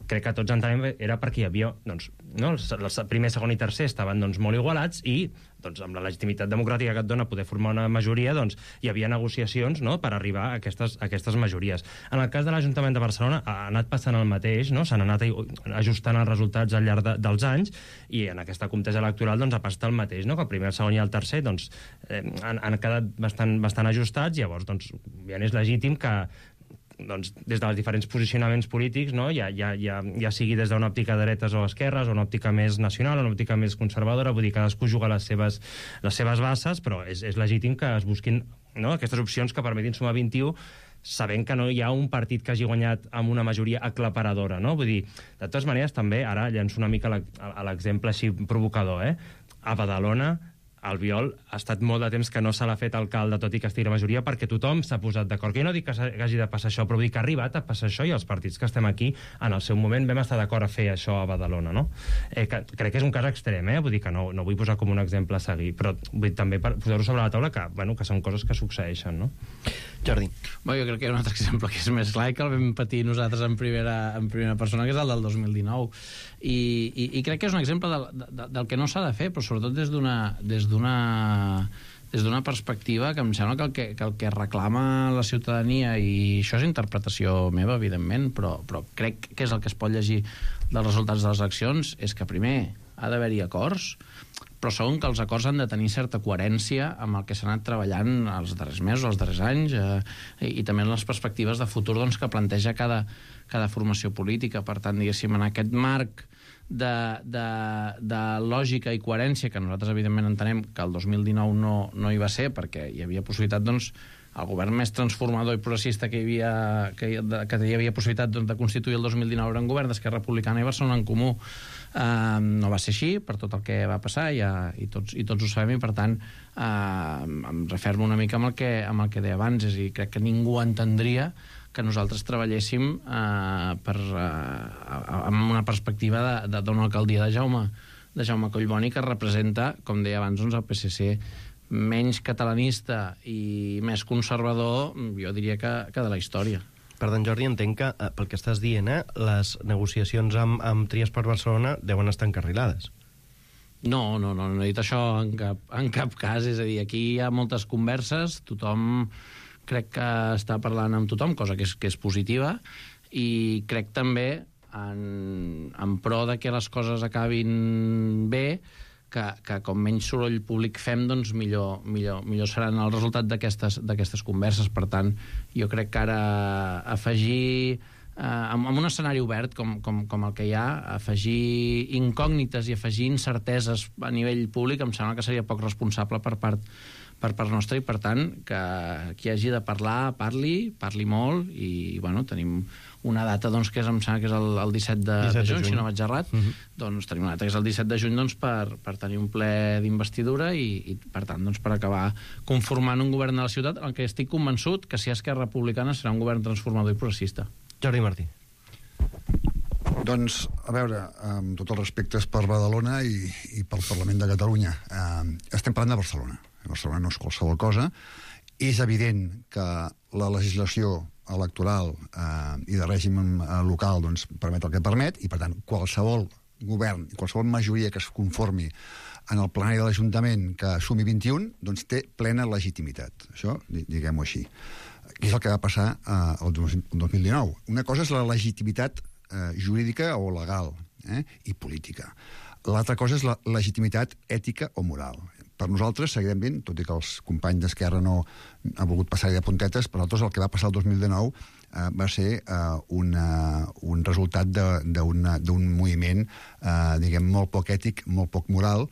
crec que tots entenem era perquè hi havia, doncs, no? El primer, segon i tercer estaven doncs, molt igualats i doncs, amb la legitimitat democràtica que et dona poder formar una majoria, doncs, hi havia negociacions, no?, per arribar a aquestes, a aquestes majories. En el cas de l'Ajuntament de Barcelona ha anat passant el mateix, no? S'han anat ajustant els resultats al llarg de, dels anys i en aquesta comptesa electoral doncs, ha passat el mateix, no?, que el primer, el segon i el tercer doncs, eh, han, han quedat bastant, bastant ajustats, llavors doncs, ja és legítim que doncs, des dels diferents posicionaments polítics, no? ja, ja, ja, ja sigui des d'una òptica de dretes o esquerres, o una òptica més nacional, o una òptica més conservadora, vull dir, cadascú juga les seves, les seves bases, però és, és legítim que es busquin, no?, aquestes opcions que permetin sumar vint-i-u, sabent que no hi ha un partit que hagi guanyat amb una majoria aclaparadora, no? Vull dir, de totes maneres, també, ara llenço una mica a l'exemple així provocador, eh? A Badalona, Albiol ha estat molt de temps que no se l'ha fet alcalde, tot i que estigui la majoria, perquè tothom s'ha posat d'acord. Que jo no dic que hagi de passar això, però vull dir que ha arribat a passar això i els partits que estem aquí, en el seu moment, vam estar d'acord a fer això a Badalona, no? Eh, que, crec que és un cas extrem, eh? Vull dir que no, no vull posar com un exemple a seguir, però vull també posar-ho sobre la taula que, bueno, que són coses que succeeixen, no? Jordi. Bé, jo crec que hi ha un altre exemple que és més clar i que el vam patir nosaltres en primera, en primera persona, que és el del dos mil dinou. I, i, i crec que és un exemple del, del, del que no s'ha de fer, però sobretot des d'una des d'una des d'una perspectiva que em sembla que el que, que el que reclama la ciutadania, i això és interpretació meva, evidentment, però, però crec que és el que es pot llegir dels resultats de les eleccions, és que primer ha d'haver-hi acords, però segon que els acords han de tenir certa coherència amb el que s'ha anat treballant els darrers mesos, els darrers anys, eh, i, i també en les perspectives de futur doncs, que planteja cada, cada formació política. Per tant, diguéssim, en aquest marc de, de, de lògica i coherència, que nosaltres evidentment entenem que el dos mil dinou no, no hi va ser, perquè hi havia possibilitat, doncs, el govern més transformador i progressista que hi havia, que hi, que hi havia possibilitat doncs, de constituir el dos mil dinou era un govern d'Esquerra Republicana i Barcelona en Comú. Uh, no va ser així per tot el que va passar ja, i, tots, i tots ho sabem, i per tant uh, em refermo una mica amb el que, amb el que deia abans, és a dir, crec que ningú entendria que nosaltres treballéssim uh, per, uh, amb una perspectiva d'una alcaldia de Jaume, de Jaume Collboni, que representa, com deia abans, doncs, el P S C menys catalanista i més conservador, jo diria que, que de la història. Per tant, Jordi, entenc que, eh, pel que estàs dient, eh, les negociacions amb, amb Trias per Barcelona deuen estar encarrilades. No, no, no, no he dit això en cap, en cap cas. És a dir, aquí hi ha moltes converses, tothom crec que està parlant amb tothom, cosa que és, que és positiva, i crec també en, en pro de que les coses acabin bé, que, que com menys soroll públic fem, doncs millor, millor, millor seran el resultat d'aquestes d'aquestes converses. Per tant, jo crec que ara afegir, eh, en, en un escenari obert com, com, com el que hi ha, afegir incògnites i afegir incerteses a nivell públic em sembla que seria poc responsable per part per part nostra, i per tant que qui hagi de parlar, parli, parli molt, i bueno, tenim una data doncs, que és, em sembla que és el, el disset de, de juny, si no vaig errat, uh -huh. doncs tenim una data que és el disset de juny doncs, per, per tenir un ple d'investidura i, i per tant doncs, per acabar conformant un govern de la ciutat, en què estic convençut que si és Esquerra Republicana serà un govern transformador i progressista. Jordi Martí. Doncs, a veure, amb tots els respectes per Badalona i, i pel Parlament de Catalunya, eh, estem parlant de Barcelona. Barcelona no és qualsevol cosa. És evident que la legislació electoral eh, i de règim eh, local doncs, permet el que permet, i per tant qualsevol govern, qualsevol majoria que es conformi en el plenari de l'Ajuntament que sumi vint-i-un, doncs té plena legitimitat. Això, diguem-ho així. I és el que va passar eh, el dos mil dinou. Una cosa és la legitimitat eh, jurídica o legal eh, i política. L'altra cosa és la legitimitat ètica o moral. Per nosaltres, seguirem ben, tot i que els companys d'Esquerra no han volgut passar-hi de puntetes, per nosaltres el que va passar el dos mil dinou eh, va ser eh, una, un resultat d'un moviment, eh, diguem, molt poc ètic, molt poc moral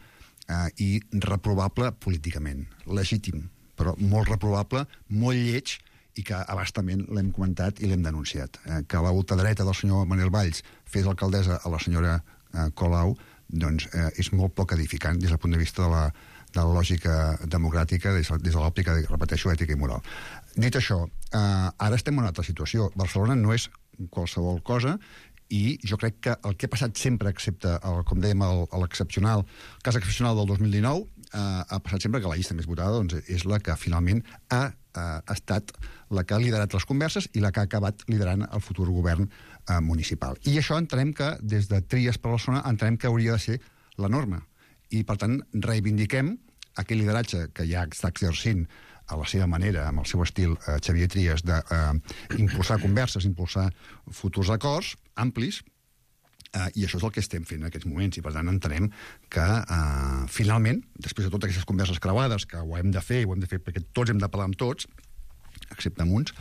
eh, i reprovable políticament. Legítim, però molt reprovable, molt lleig, i que abastament l'hem comentat i l'hem denunciat. Eh, que la ultradreta del senyor Manel Valls fes alcaldessa a la senyora eh, Colau, doncs eh, és molt poc edificant des del punt de vista de la, de la lògica democràtica, des, des de l'òptica, repeteixo, ètica i moral. Dit això, eh, ara estem en una altra situació. Barcelona no és qualsevol cosa, i jo crec que el que ha passat sempre, excepte, el, com dèiem, l'excepcional, el cas excepcional del dos mil dinou, eh, ha passat sempre que la llista més votada doncs, és la que finalment ha ha estat la que ha liderat les converses i la que ha acabat liderant el futur govern eh, municipal. I això entenem que, des de Trias per Barcelona, entenem que hauria de ser la norma. I, per tant, reivindiquem aquell lideratge que ja està exercint a la seva manera, amb el seu estil, eh, Xavier Trias, d'impulsar eh, converses, impulsar futurs acords amplis, Uh, i això és el que estem fent en aquests moments, i per tant entenem que uh, finalment, després de totes aquestes converses creuades, que ho hem de fer, ho hem de fer perquè tots hem de parlar amb tots, excepte amb uns,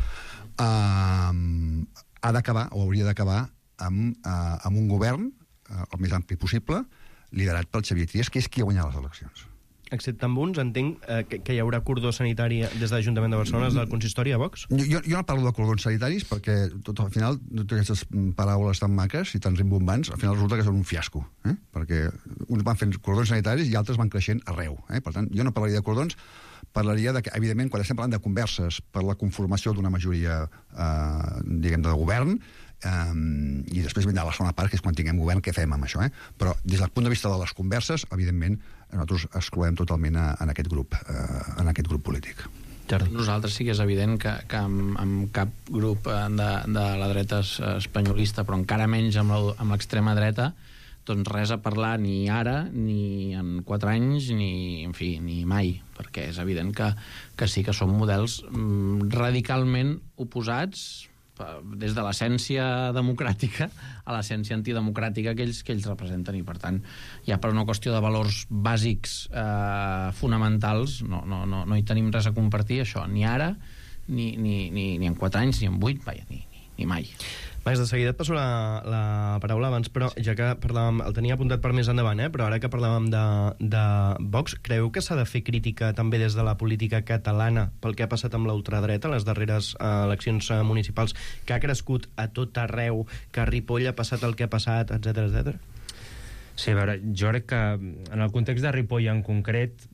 uh, ha d'acabar, o hauria d'acabar, amb, uh, amb un govern, uh, el més ampli possible, liderat pel Xavier Trias, que és qui ha guanyat les eleccions. Excepte amb uns, entenc eh, que, que hi haurà cordó sanitari des de l'Ajuntament de Barcelona, des del consistori a Vox? Jo, jo no parlo de cordons sanitaris perquè tot, al final totes aquestes paraules tan maques i tan rimbombants al final resulta que són un fiasco, eh? Perquè uns van fent cordons sanitaris i altres van creixent arreu. Eh? Per tant, jo no parlaria de cordons, parlaria de que, evidentment, quan estem parlant de converses per la conformació d'una majoria eh, diguem, de govern, Um, i després vindrà la segona part, que és quan tinguem govern, què fem amb això, eh? Però des del punt de vista de les converses, evidentment, nosaltres excloem totalment a, en aquest grup, uh, en aquest grup polític. Nosaltres sí que és evident que, que amb, amb cap grup de, de la dreta espanyolista, però encara menys amb l'extrema dreta, doncs res a parlar ni ara, ni en quatre anys, ni, en fi, ni mai, perquè és evident que, que sí que són models mm, radicalment oposats, des de l'essència democràtica a l'essència antidemocràtica que ells, que ells representen, i per tant ja per una qüestió de valors bàsics eh, fonamentals no, no, no, no hi tenim res a compartir, això, ni ara ni, ni, ni, ni en quatre anys, ni en vuit, vaja, ni, ni, ni mai. Vaig, de seguida et passo la, la paraula abans, però ja que parlàvem, el tenia apuntat per més endavant, eh? Però ara que parlàvem de, de Vox, creu que s'ha de fer crítica també des de la política catalana pel que ha passat amb l'ultradreta, les darreres eh, eleccions eh, municipals, que ha crescut a tot arreu, que a Ripoll ha passat el que ha passat, etcètera, etcètera? Sí, a veure, jo crec que en el context de Ripoll en concret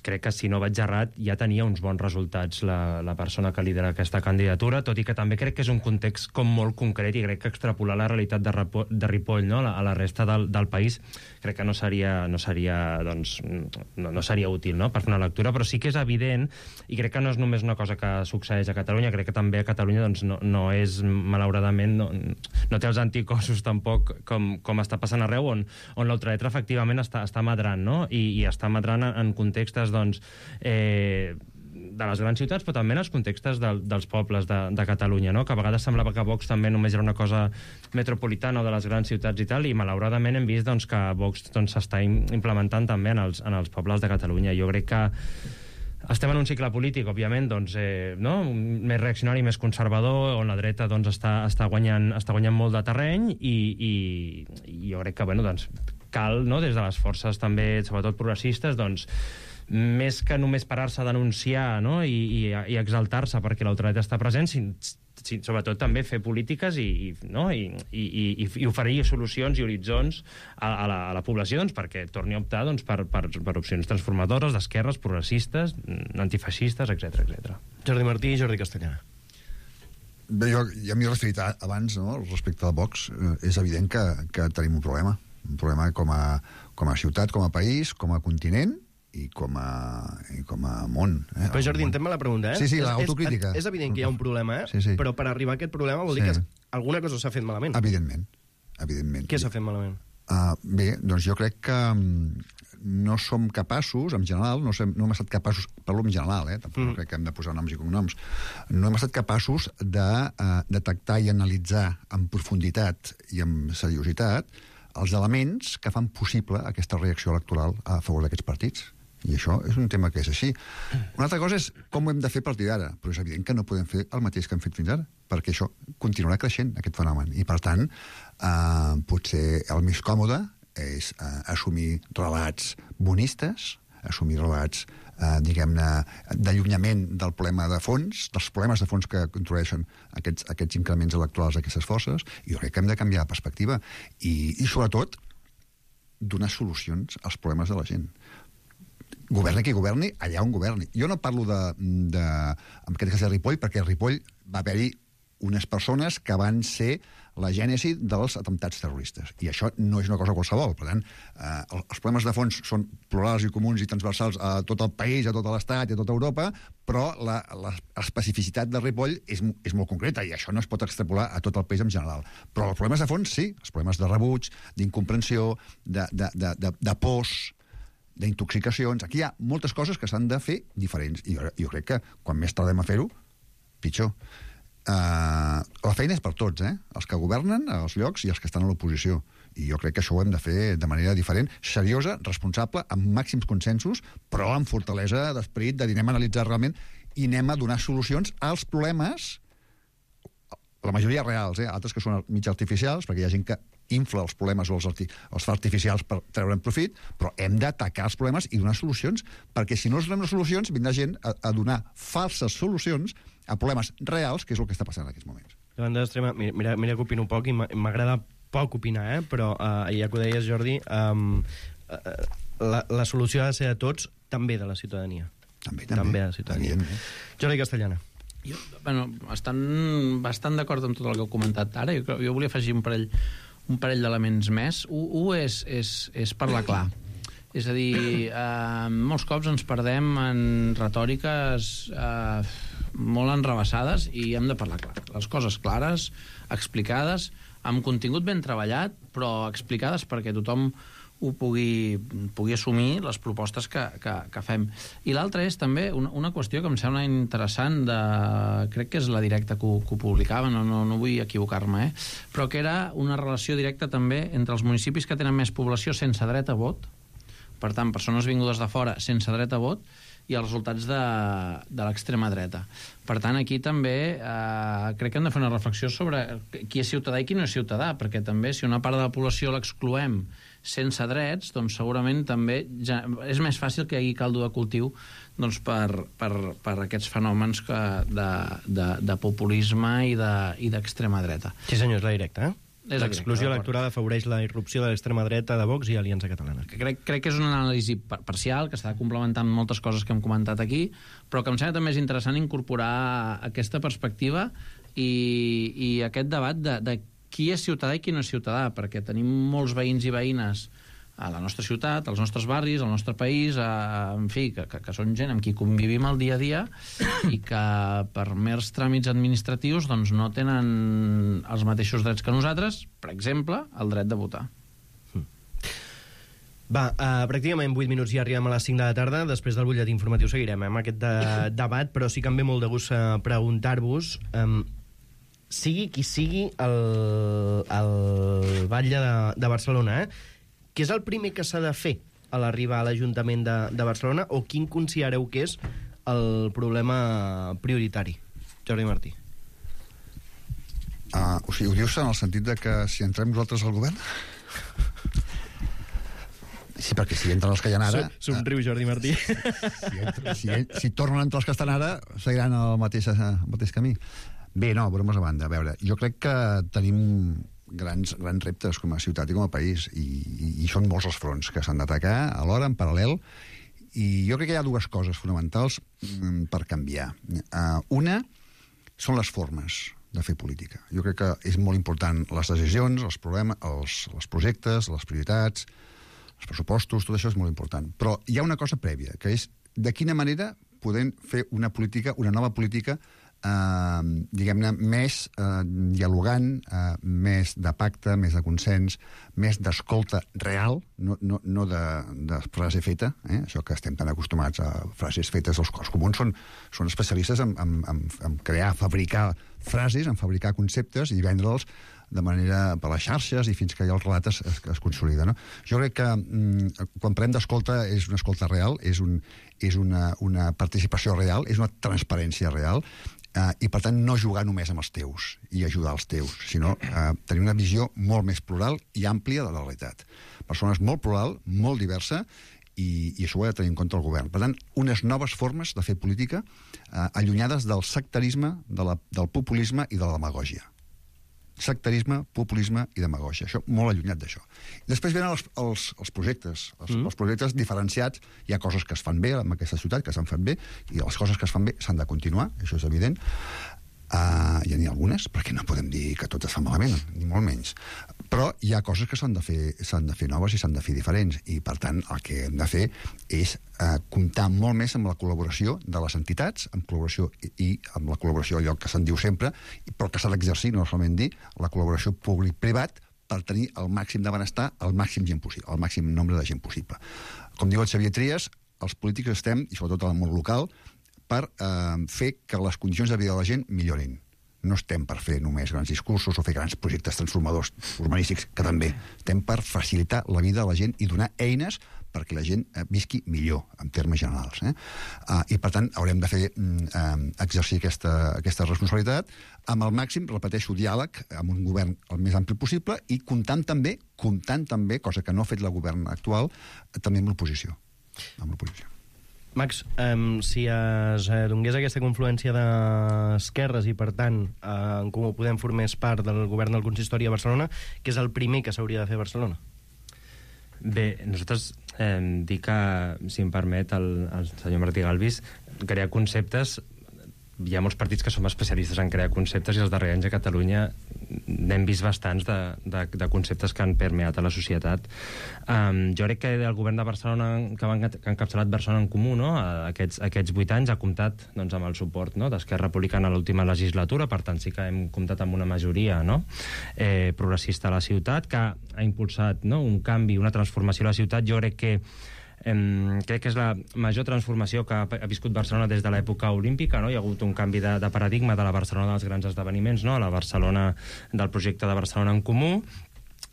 crec que, si no vaig errat, ja tenia uns bons resultats la, la persona que lidera aquesta candidatura, tot i que també crec que és un context com molt concret i crec que extrapolar la realitat de, Ripoll, de Ripoll, no? a la resta del, del país crec que no seria, no seria, doncs, no, no seria útil, no? per fer una lectura, però sí que és evident, i crec que no és només una cosa que succeeix a Catalunya, crec que també a Catalunya doncs, no, no és, malauradament, no, no té els anticossos tampoc com, com està passant arreu, on, on l'ultraderecha efectivament està, està madrant, no? I, i està madrant en, en contextes, doncs, eh, de les grans ciutats, però també en els contextes de, dels pobles de, de Catalunya, no? Que a vegades semblava que Vox també només era una cosa metropolitana o de les grans ciutats i tal, i malauradament hem vist doncs, que Vox s'està doncs, implementant també en els, en els pobles de Catalunya. Jo crec que estem en un cicle polític, òbviament, doncs, eh, no? més reaccionari, més conservador, on la dreta doncs, està, està, guanyant, està guanyant molt de terreny, i, i, i jo crec que bueno, doncs, cal, no? des de les forces també, sobretot progressistes, doncs, més que només parar-se a denunciar, no? I, i, i exaltar-se perquè l'ultradreta està present, si, si, sobretot també fer polítiques i, i, no? I, i, i, i oferir solucions i horitzons a, a, la, a la població doncs, perquè torni a optar doncs, per, per, per opcions transformadores, d'esquerres, progressistes, antifeixistes, etcètera etcètera. Jordi Martí i Jordi Castellana. Bé, jo ja m'hi he referit abans, no? respecte a Vox. Eh, és evident que, que tenim un problema. Un problema com a, com a ciutat, com a país, com a continent, i com a, i com a món. Eh? Però Jordi, entén-me la pregunta, eh? Sí, sí, és, l'autocrítica. És, és evident que hi ha un problema, eh? Sí, sí. Però per arribar a aquest problema vol dir sí. que alguna cosa s'ha fet malament. Evidentment. Evidentment. Què s'ha fet malament? Uh, bé, doncs jo crec que no som capaços, en general, no, sem, no hem estat capaços, parlo en general, eh? tampoc mm. no crec que hem de posar noms i cognoms, no hem estat capaços de uh, detectar i analitzar en profunditat i amb seriositat els elements que fan possible aquesta reacció electoral a favor d'aquests partits. I això és un tema que és així. Una altra cosa és com ho hem de fer a partir d'ara, però és evident que no podem fer el mateix que hem fet fins ara, perquè això continuarà creixent, aquest fenomen. I, per tant, eh, potser el més còmode és eh, assumir relats bonistes, assumir relats, eh, diguem-ne, d'allunyament del problema de fons, dels problemes de fons que introdueixen aquests, aquests increments electorals d'aquestes forces, i jo crec que hem de canviar de perspectiva. I, i sobretot, donar solucions als problemes de la gent. Governi qui governi, allà on governi. Jo no parlo de, de en aquest cas de Ripoll, perquè a Ripoll va haver-hi unes persones que van ser la gènesi dels atemptats terroristes. I això no és una cosa qualsevol. Per tant, eh, els problemes de fons són plurals i comuns i transversals a tot el país, a tot l'Estat i a tota Europa, però la, la especificitat de Ripoll és, és molt concreta i això no es pot extrapolar a tot el país en general. Però els problemes de fons, sí. Els problemes de rebuig, d'incomprensió, de, de, de, de, de pors, d'intoxicacions. Aquí hi ha moltes coses que s'han de fer diferents. I jo, jo crec que quan més tardem a fer-ho, pitjor. Uh, la feina és per tots, eh? Els que governen als llocs i els que estan a l'oposició. I jo crec que això ho hem de fer de manera diferent, seriosa, responsable, amb màxims consensos, però amb fortalesa d'esperit, de dir anem a analitzar realment i anem a donar solucions als problemes, la majoria reals, eh? Altres que són mig artificials, perquè hi ha gent que infla els problemes o els, arti els fa artificials per treure'n profit, però hem d'atacar els problemes i donar solucions, perquè si no els donem les solucions, vindrà gent a, a donar falses solucions a problemes reals, que és el que està passant en aquests moments. Davant de l'extrema, mira, mira que opino poc i m'agrada poc opinar, eh? Però uh, ja que ho deies, Jordi, um, uh, la, la solució ha de ser de tots, també de la ciutadania. També, també. També de la ciutadania. Evidentment. Jordi Castellana. Jo, bueno, estan bastant d'acord amb tot el que heu comentat ara. Jo, jo volia afegir un parell un parell d'elements més. Un, un és, és, és parlar clar. És a dir, eh, molts cops ens perdem en retòriques eh, molt enrebaçades i hem de parlar clar. Les coses clares, explicades, amb contingut ben treballat, però explicades perquè tothom ho pugui, pugui assumir les propostes que, que, que fem. I l'altra és també una, una qüestió que em sembla interessant, de, crec que és la directa que ho, que ho publicava, no, no, no vull equivocar-me, eh? Però que era una relació directa també entre els municipis que tenen més població sense dret a vot, per tant, persones vingudes de fora sense dret a vot, i els resultats de, de l'extrema dreta. Per tant, aquí també eh, crec que hem de fer una reflexió sobre qui és ciutadà i qui no és ciutadà, perquè també si una part de la població l'excloem sense drets, doncs segurament també ja és més fàcil que hi hagi caldo de cultiu doncs, per, per, per aquests fenòmens que de, de, de populisme i d'extrema de, dreta. Sí senyor, és la directa, eh? És l'exclusió electoral afavoreix la irrupció de l'extrema dreta de Vox i Aliança Catalana. Crec, crec que és una anàlisi parcial, que s'ha de complementar amb moltes coses que hem comentat aquí, però que em sembla també és interessant incorporar aquesta perspectiva i, i aquest debat de, de qui és ciutadà i qui no és ciutadà, perquè tenim molts veïns i veïnes a la nostra ciutat, als nostres barris, al nostre país, a, en fi, que, que, que són gent amb qui convivim el dia a dia i que per mers tràmits administratius doncs, no tenen els mateixos drets que nosaltres, per exemple, el dret de votar. Va, uh, pràcticament vuit minuts i arribem a les cinc de la tarda. Després del butlletí informatiu seguirem eh, amb aquest de, debat, però sí que em ve molt de gust uh, preguntar-vos... Um, sigui qui sigui el, el batlle de, de Barcelona, eh? Què és el primer que s'ha de fer a l'arribar a l'Ajuntament de, de Barcelona o quin considereu que és el problema prioritari? Jordi Martí. Uh, o sigui, ho dius en el sentit de que si entrem nosaltres al govern? Sí, perquè si entren els que hi ha ara... Somriu, Jordi Martí. Si, si, entra, si, si tornen a entrar els que estan ara, seguiran el mateix, el mateix camí. Bé, no, bromes a banda. A veure, jo crec que tenim grans, grans reptes com a ciutat i com a país, i, i, i són molts els fronts que s'han d'atacar alhora, en paral·lel, i jo crec que hi ha dues coses fonamentals mm, per canviar. Uh, una són les formes de fer política. Jo crec que és molt important les decisions, els problemes, els, els projectes, les prioritats, els pressupostos, tot això és molt important. Però hi ha una cosa prèvia, que és de quina manera podem fer una política, una nova política, eh, diguem-ne, més eh, dialogant, eh, més de pacte, més de consens, més d'escolta real, no, no, no de, de frase feta, eh? Això que estem tan acostumats a frases fetes. Els, els comuns són, són especialistes en, en, en, en crear, fabricar frases, en fabricar conceptes i vendre'ls de manera per les xarxes i fins que ja el relat es, es, es consolida, no? Jo crec que mm, quan parlem d'escolta és una escolta real, és, un, és una, una participació real, és una transparència real, eh, i per tant no jugar només amb els teus i ajudar els teus, sinó eh, tenir una visió molt més plural i àmplia de la realitat. Persones molt plural, molt diversa, i, i això ho ha de tenir en compte el govern. Per tant, unes noves formes de fer política eh, allunyades del sectarisme, de la, del populisme i de la demagògia. Sectarisme, populisme i demagògia. Això, molt allunyat d'això. Després venen els, els, els projectes. Els, mm. els projectes diferenciats. Hi ha coses que es fan bé en aquesta ciutat, que s'han fet bé, i les coses que es fan bé s'han de continuar, això és evident. Uh, hi ha algunes, perquè no podem dir que tot es fa malament, ni molt menys. Però hi ha coses que s'han de fer, s'han de fer noves i s'han de fer diferents, i per tant el que hem de fer és uh, comptar molt més amb la col·laboració de les entitats, amb col·laboració i, i amb la col·laboració, allò que se'n diu sempre, però que s'ha d'exercir, no solament dir, la col·laboració públic-privat per tenir el màxim de benestar, el màxim gent possible, el màxim nombre de gent possible. Com diu el Xavier Trias, els polítics estem, i sobretot al món local, per eh, fer que les condicions de vida de la gent millorin. No estem per fer només grans discursos o fer grans projectes transformadors urbanístics, que també. Estem per facilitar la vida de la gent i donar eines perquè la gent eh, visqui millor, en termes generals. Eh? Uh, I, per tant, haurem de fer eh, exercir aquesta, aquesta responsabilitat amb el màxim, repeteixo, diàleg amb un govern el més ampli possible i comptant també, comptant també, cosa que no ha fet el govern actual, també amb l'oposició. Amb l'oposició. Max, um, si es eh, donés aquesta confluència d'esquerres i, per tant, eh, en Comú Podem formés part del govern del consistori a Barcelona, què és el primer que s'hauria de fer a Barcelona? Bé, nosaltres eh, dic que, si em permet, el, el senyor Martí Galvis, crear conceptes. Hi ha molts partits que som especialistes en crear conceptes i els darrers anys a Catalunya n'hem vist bastants de, de, de conceptes que han permeat a la societat. Um, jo crec que el govern de Barcelona, que ha encapçalat Barcelona en Comú, no? aquests, aquests vuit anys, ha comptat doncs, amb el suport, no? d'Esquerra Republicana a l'última legislatura, per tant sí que hem comptat amb una majoria, no? eh, progressista a la ciutat, que ha impulsat, no? un canvi, una transformació a la ciutat. Jo crec que Um, crec que és la major transformació que ha, ha viscut Barcelona des de l'època olímpica, no? Hi ha hagut un canvi de, de paradigma de la Barcelona dels grans esdeveniments, no? A la Barcelona del projecte de Barcelona en Comú,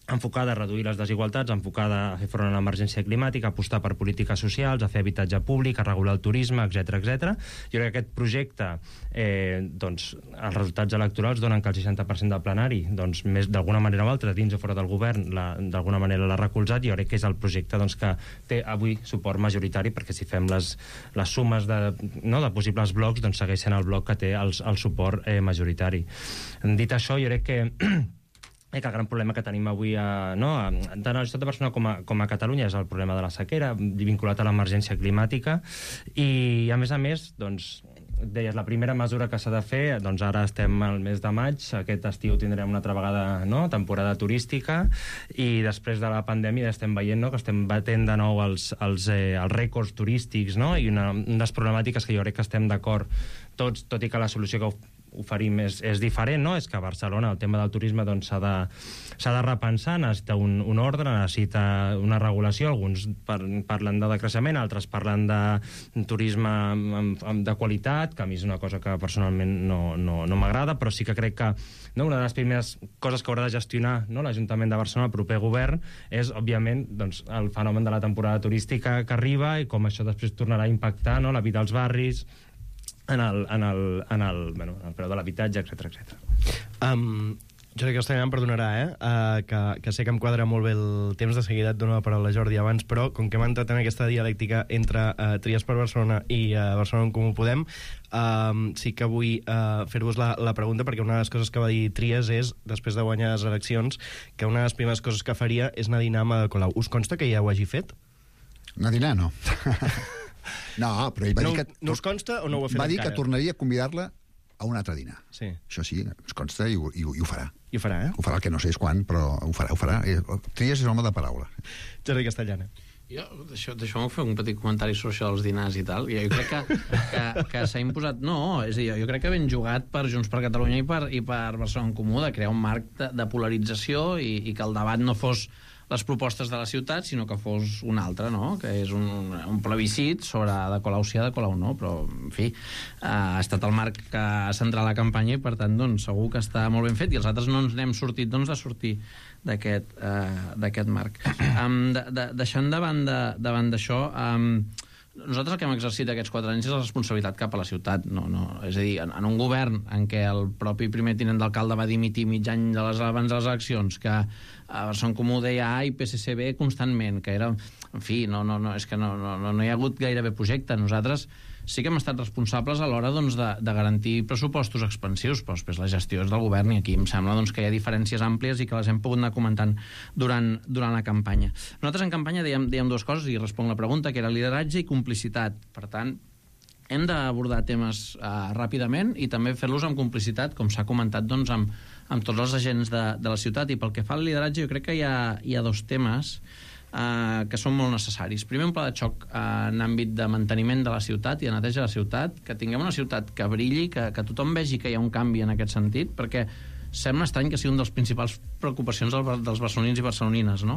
enfocada a reduir les desigualtats, enfocada a fer front a l'emergència climàtica, a apostar per polítiques socials, a fer habitatge públic, a regular el turisme, etcètera, etcètera. Jo crec que aquest projecte, eh, doncs, els resultats electorals donen que el seixanta per cent del plenari, doncs, més d'alguna manera o altra, dins o fora del govern, d'alguna manera l'ha recolzat. Jo crec que és el projecte doncs, que té avui suport majoritari, perquè si fem les, les sumes de, no, de possibles blocs, doncs segueix sent el bloc que té el, el suport eh, majoritari. Dit això, jo crec que que el gran problema que tenim avui a, no, a, tant a la ciutat de Barcelona com a, com a Catalunya és el problema de la sequera, vinculat a l'emergència climàtica, i a més a més, doncs, deies, la primera mesura que s'ha de fer, doncs ara estem al mes de maig, aquest estiu tindrem una altra vegada, no?, temporada turística, i després de la pandèmia estem veient, no?, que estem batent de nou els, els, eh, els rècords turístics, no?, i una, una de les problemàtiques que jo crec que estem d'acord tots, tot i que la solució que oferim és, és diferent, no? És que a Barcelona el tema del turisme doncs, s'ha de, s'ha de repensar, necessita un, un ordre, necessita una regulació, alguns par, parlen de decreixement, altres parlen de turisme amb, amb, de qualitat, que a mi és una cosa que personalment no, no, no m'agrada, però sí que crec que, no, una de les primeres coses que haurà de gestionar, no, l'Ajuntament de Barcelona, el proper govern, és, òbviament, doncs, el fenomen de la temporada turística que arriba i com això després tornarà a impactar, no?, la vida als barris, en el, en el, en el, bueno, en el preu de l'habitatge, etcètera, etcètera. Um, Jordi Castellà em perdonarà, eh? Uh, que, que sé que em quadra molt bé el temps, de seguida et dono la paraula a Jordi abans, però com que hem entrat en aquesta dialèctica entre uh, Tries per Barcelona i uh, Barcelona en Comú Podem, uh, sí que vull uh, fer-vos la, la pregunta, perquè una de les coses que va dir Tries és, després de guanyar les eleccions, que una de les primeres coses que faria és anar a dinar amb Ada Colau. Us consta que ja ho hagi fet? Anar a dinar, no. No, però ell va no, dir que... No us consta o no ho ha fet va dir encara? que tornaria a convidar-la a un altre dinar. Sí. Això sí, us consta i ho, i, ho, i ho farà. I ho farà, eh? Ho farà, el que no sé és quan, però ho farà, ho farà. Tries és home de paraula. Jordi Castellana. Jo, deixeu-me fer un petit comentari sobre això dels dinars i tal. Jo crec que, que, que s'ha imposat... No, és a dir, jo crec que ben jugat per Junts per Catalunya i per, i per Barcelona en Comú de crear un marc de, de polarització i, i que el debat no fos les propostes de la ciutat, sinó que fos una altra, no?, que és un, un plebiscit sobre de Colau sí, de Colau no, però, en fi, ha estat el marc que ha centrat la campanya i, per tant, doncs, segur que està molt ben fet, i els altres no ens n'hem sortit, doncs, de sortir d'aquest uh, d'aquest marc. Um, de, de, deixant davant d'això, um, nosaltres el que hem exercit aquests quatre anys és la responsabilitat cap a la ciutat. No, no, és a dir, en, en un govern en què el propi primer tinent d'alcalde va dimitir mig any de les, abans de les eleccions, que a Barcelona Comú deia A i P S C B constantment, que era... En fi, no, no, no, és que no, no, no hi ha hagut gairebé projecte. Nosaltres sí que hem estat responsables a l'hora, doncs, de, de garantir pressupostos expansius, però després la gestió és del govern i aquí em sembla, doncs, que hi ha diferències àmplies i que les hem pogut anar comentant durant, durant la campanya. Nosaltres en campanya dèiem, dèiem dues coses i responc la pregunta, que era lideratge i complicitat. Per tant, hem d'abordar temes uh, ràpidament i també fer-los amb complicitat, com s'ha comentat, doncs, amb, amb tots els agents de, de la ciutat. I pel que fa al lideratge, jo crec que hi ha, hi ha dos temes Uh, que són molt necessaris. Primer, un pla de xoc uh, en àmbit de manteniment de la ciutat i de neteja de la ciutat, que tinguem una ciutat que brilli, que, que tothom vegi que hi ha un canvi en aquest sentit, perquè sembla estrany que sigui una de les principals preocupacions dels barcelonins i barcelonines, no?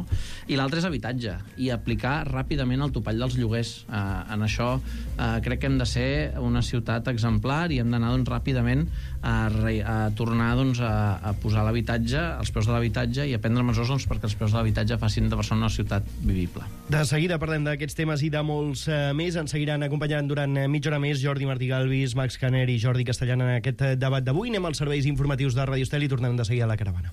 I l'altre és habitatge, i aplicar ràpidament el topall dels lloguers. Eh, en això eh, crec que hem de ser una ciutat exemplar i hem d'anar, doncs, ràpidament a, a tornar, doncs, a, a posar l'habitatge, els preus de l'habitatge, i a prendre mesures, doncs, perquè els preus de l'habitatge facin de Barcelona una ciutat vivible. De seguida parlem d'aquests temes i de molts eh, més. Ens seguiran acompanyant durant eh, mitja hora més Jordi Martí Galvis, Max Caner i Jordi Castellana en aquest eh, debat d'avui. Anem als serveis informatius de Radio Estel i tornem de seguida a la caravana.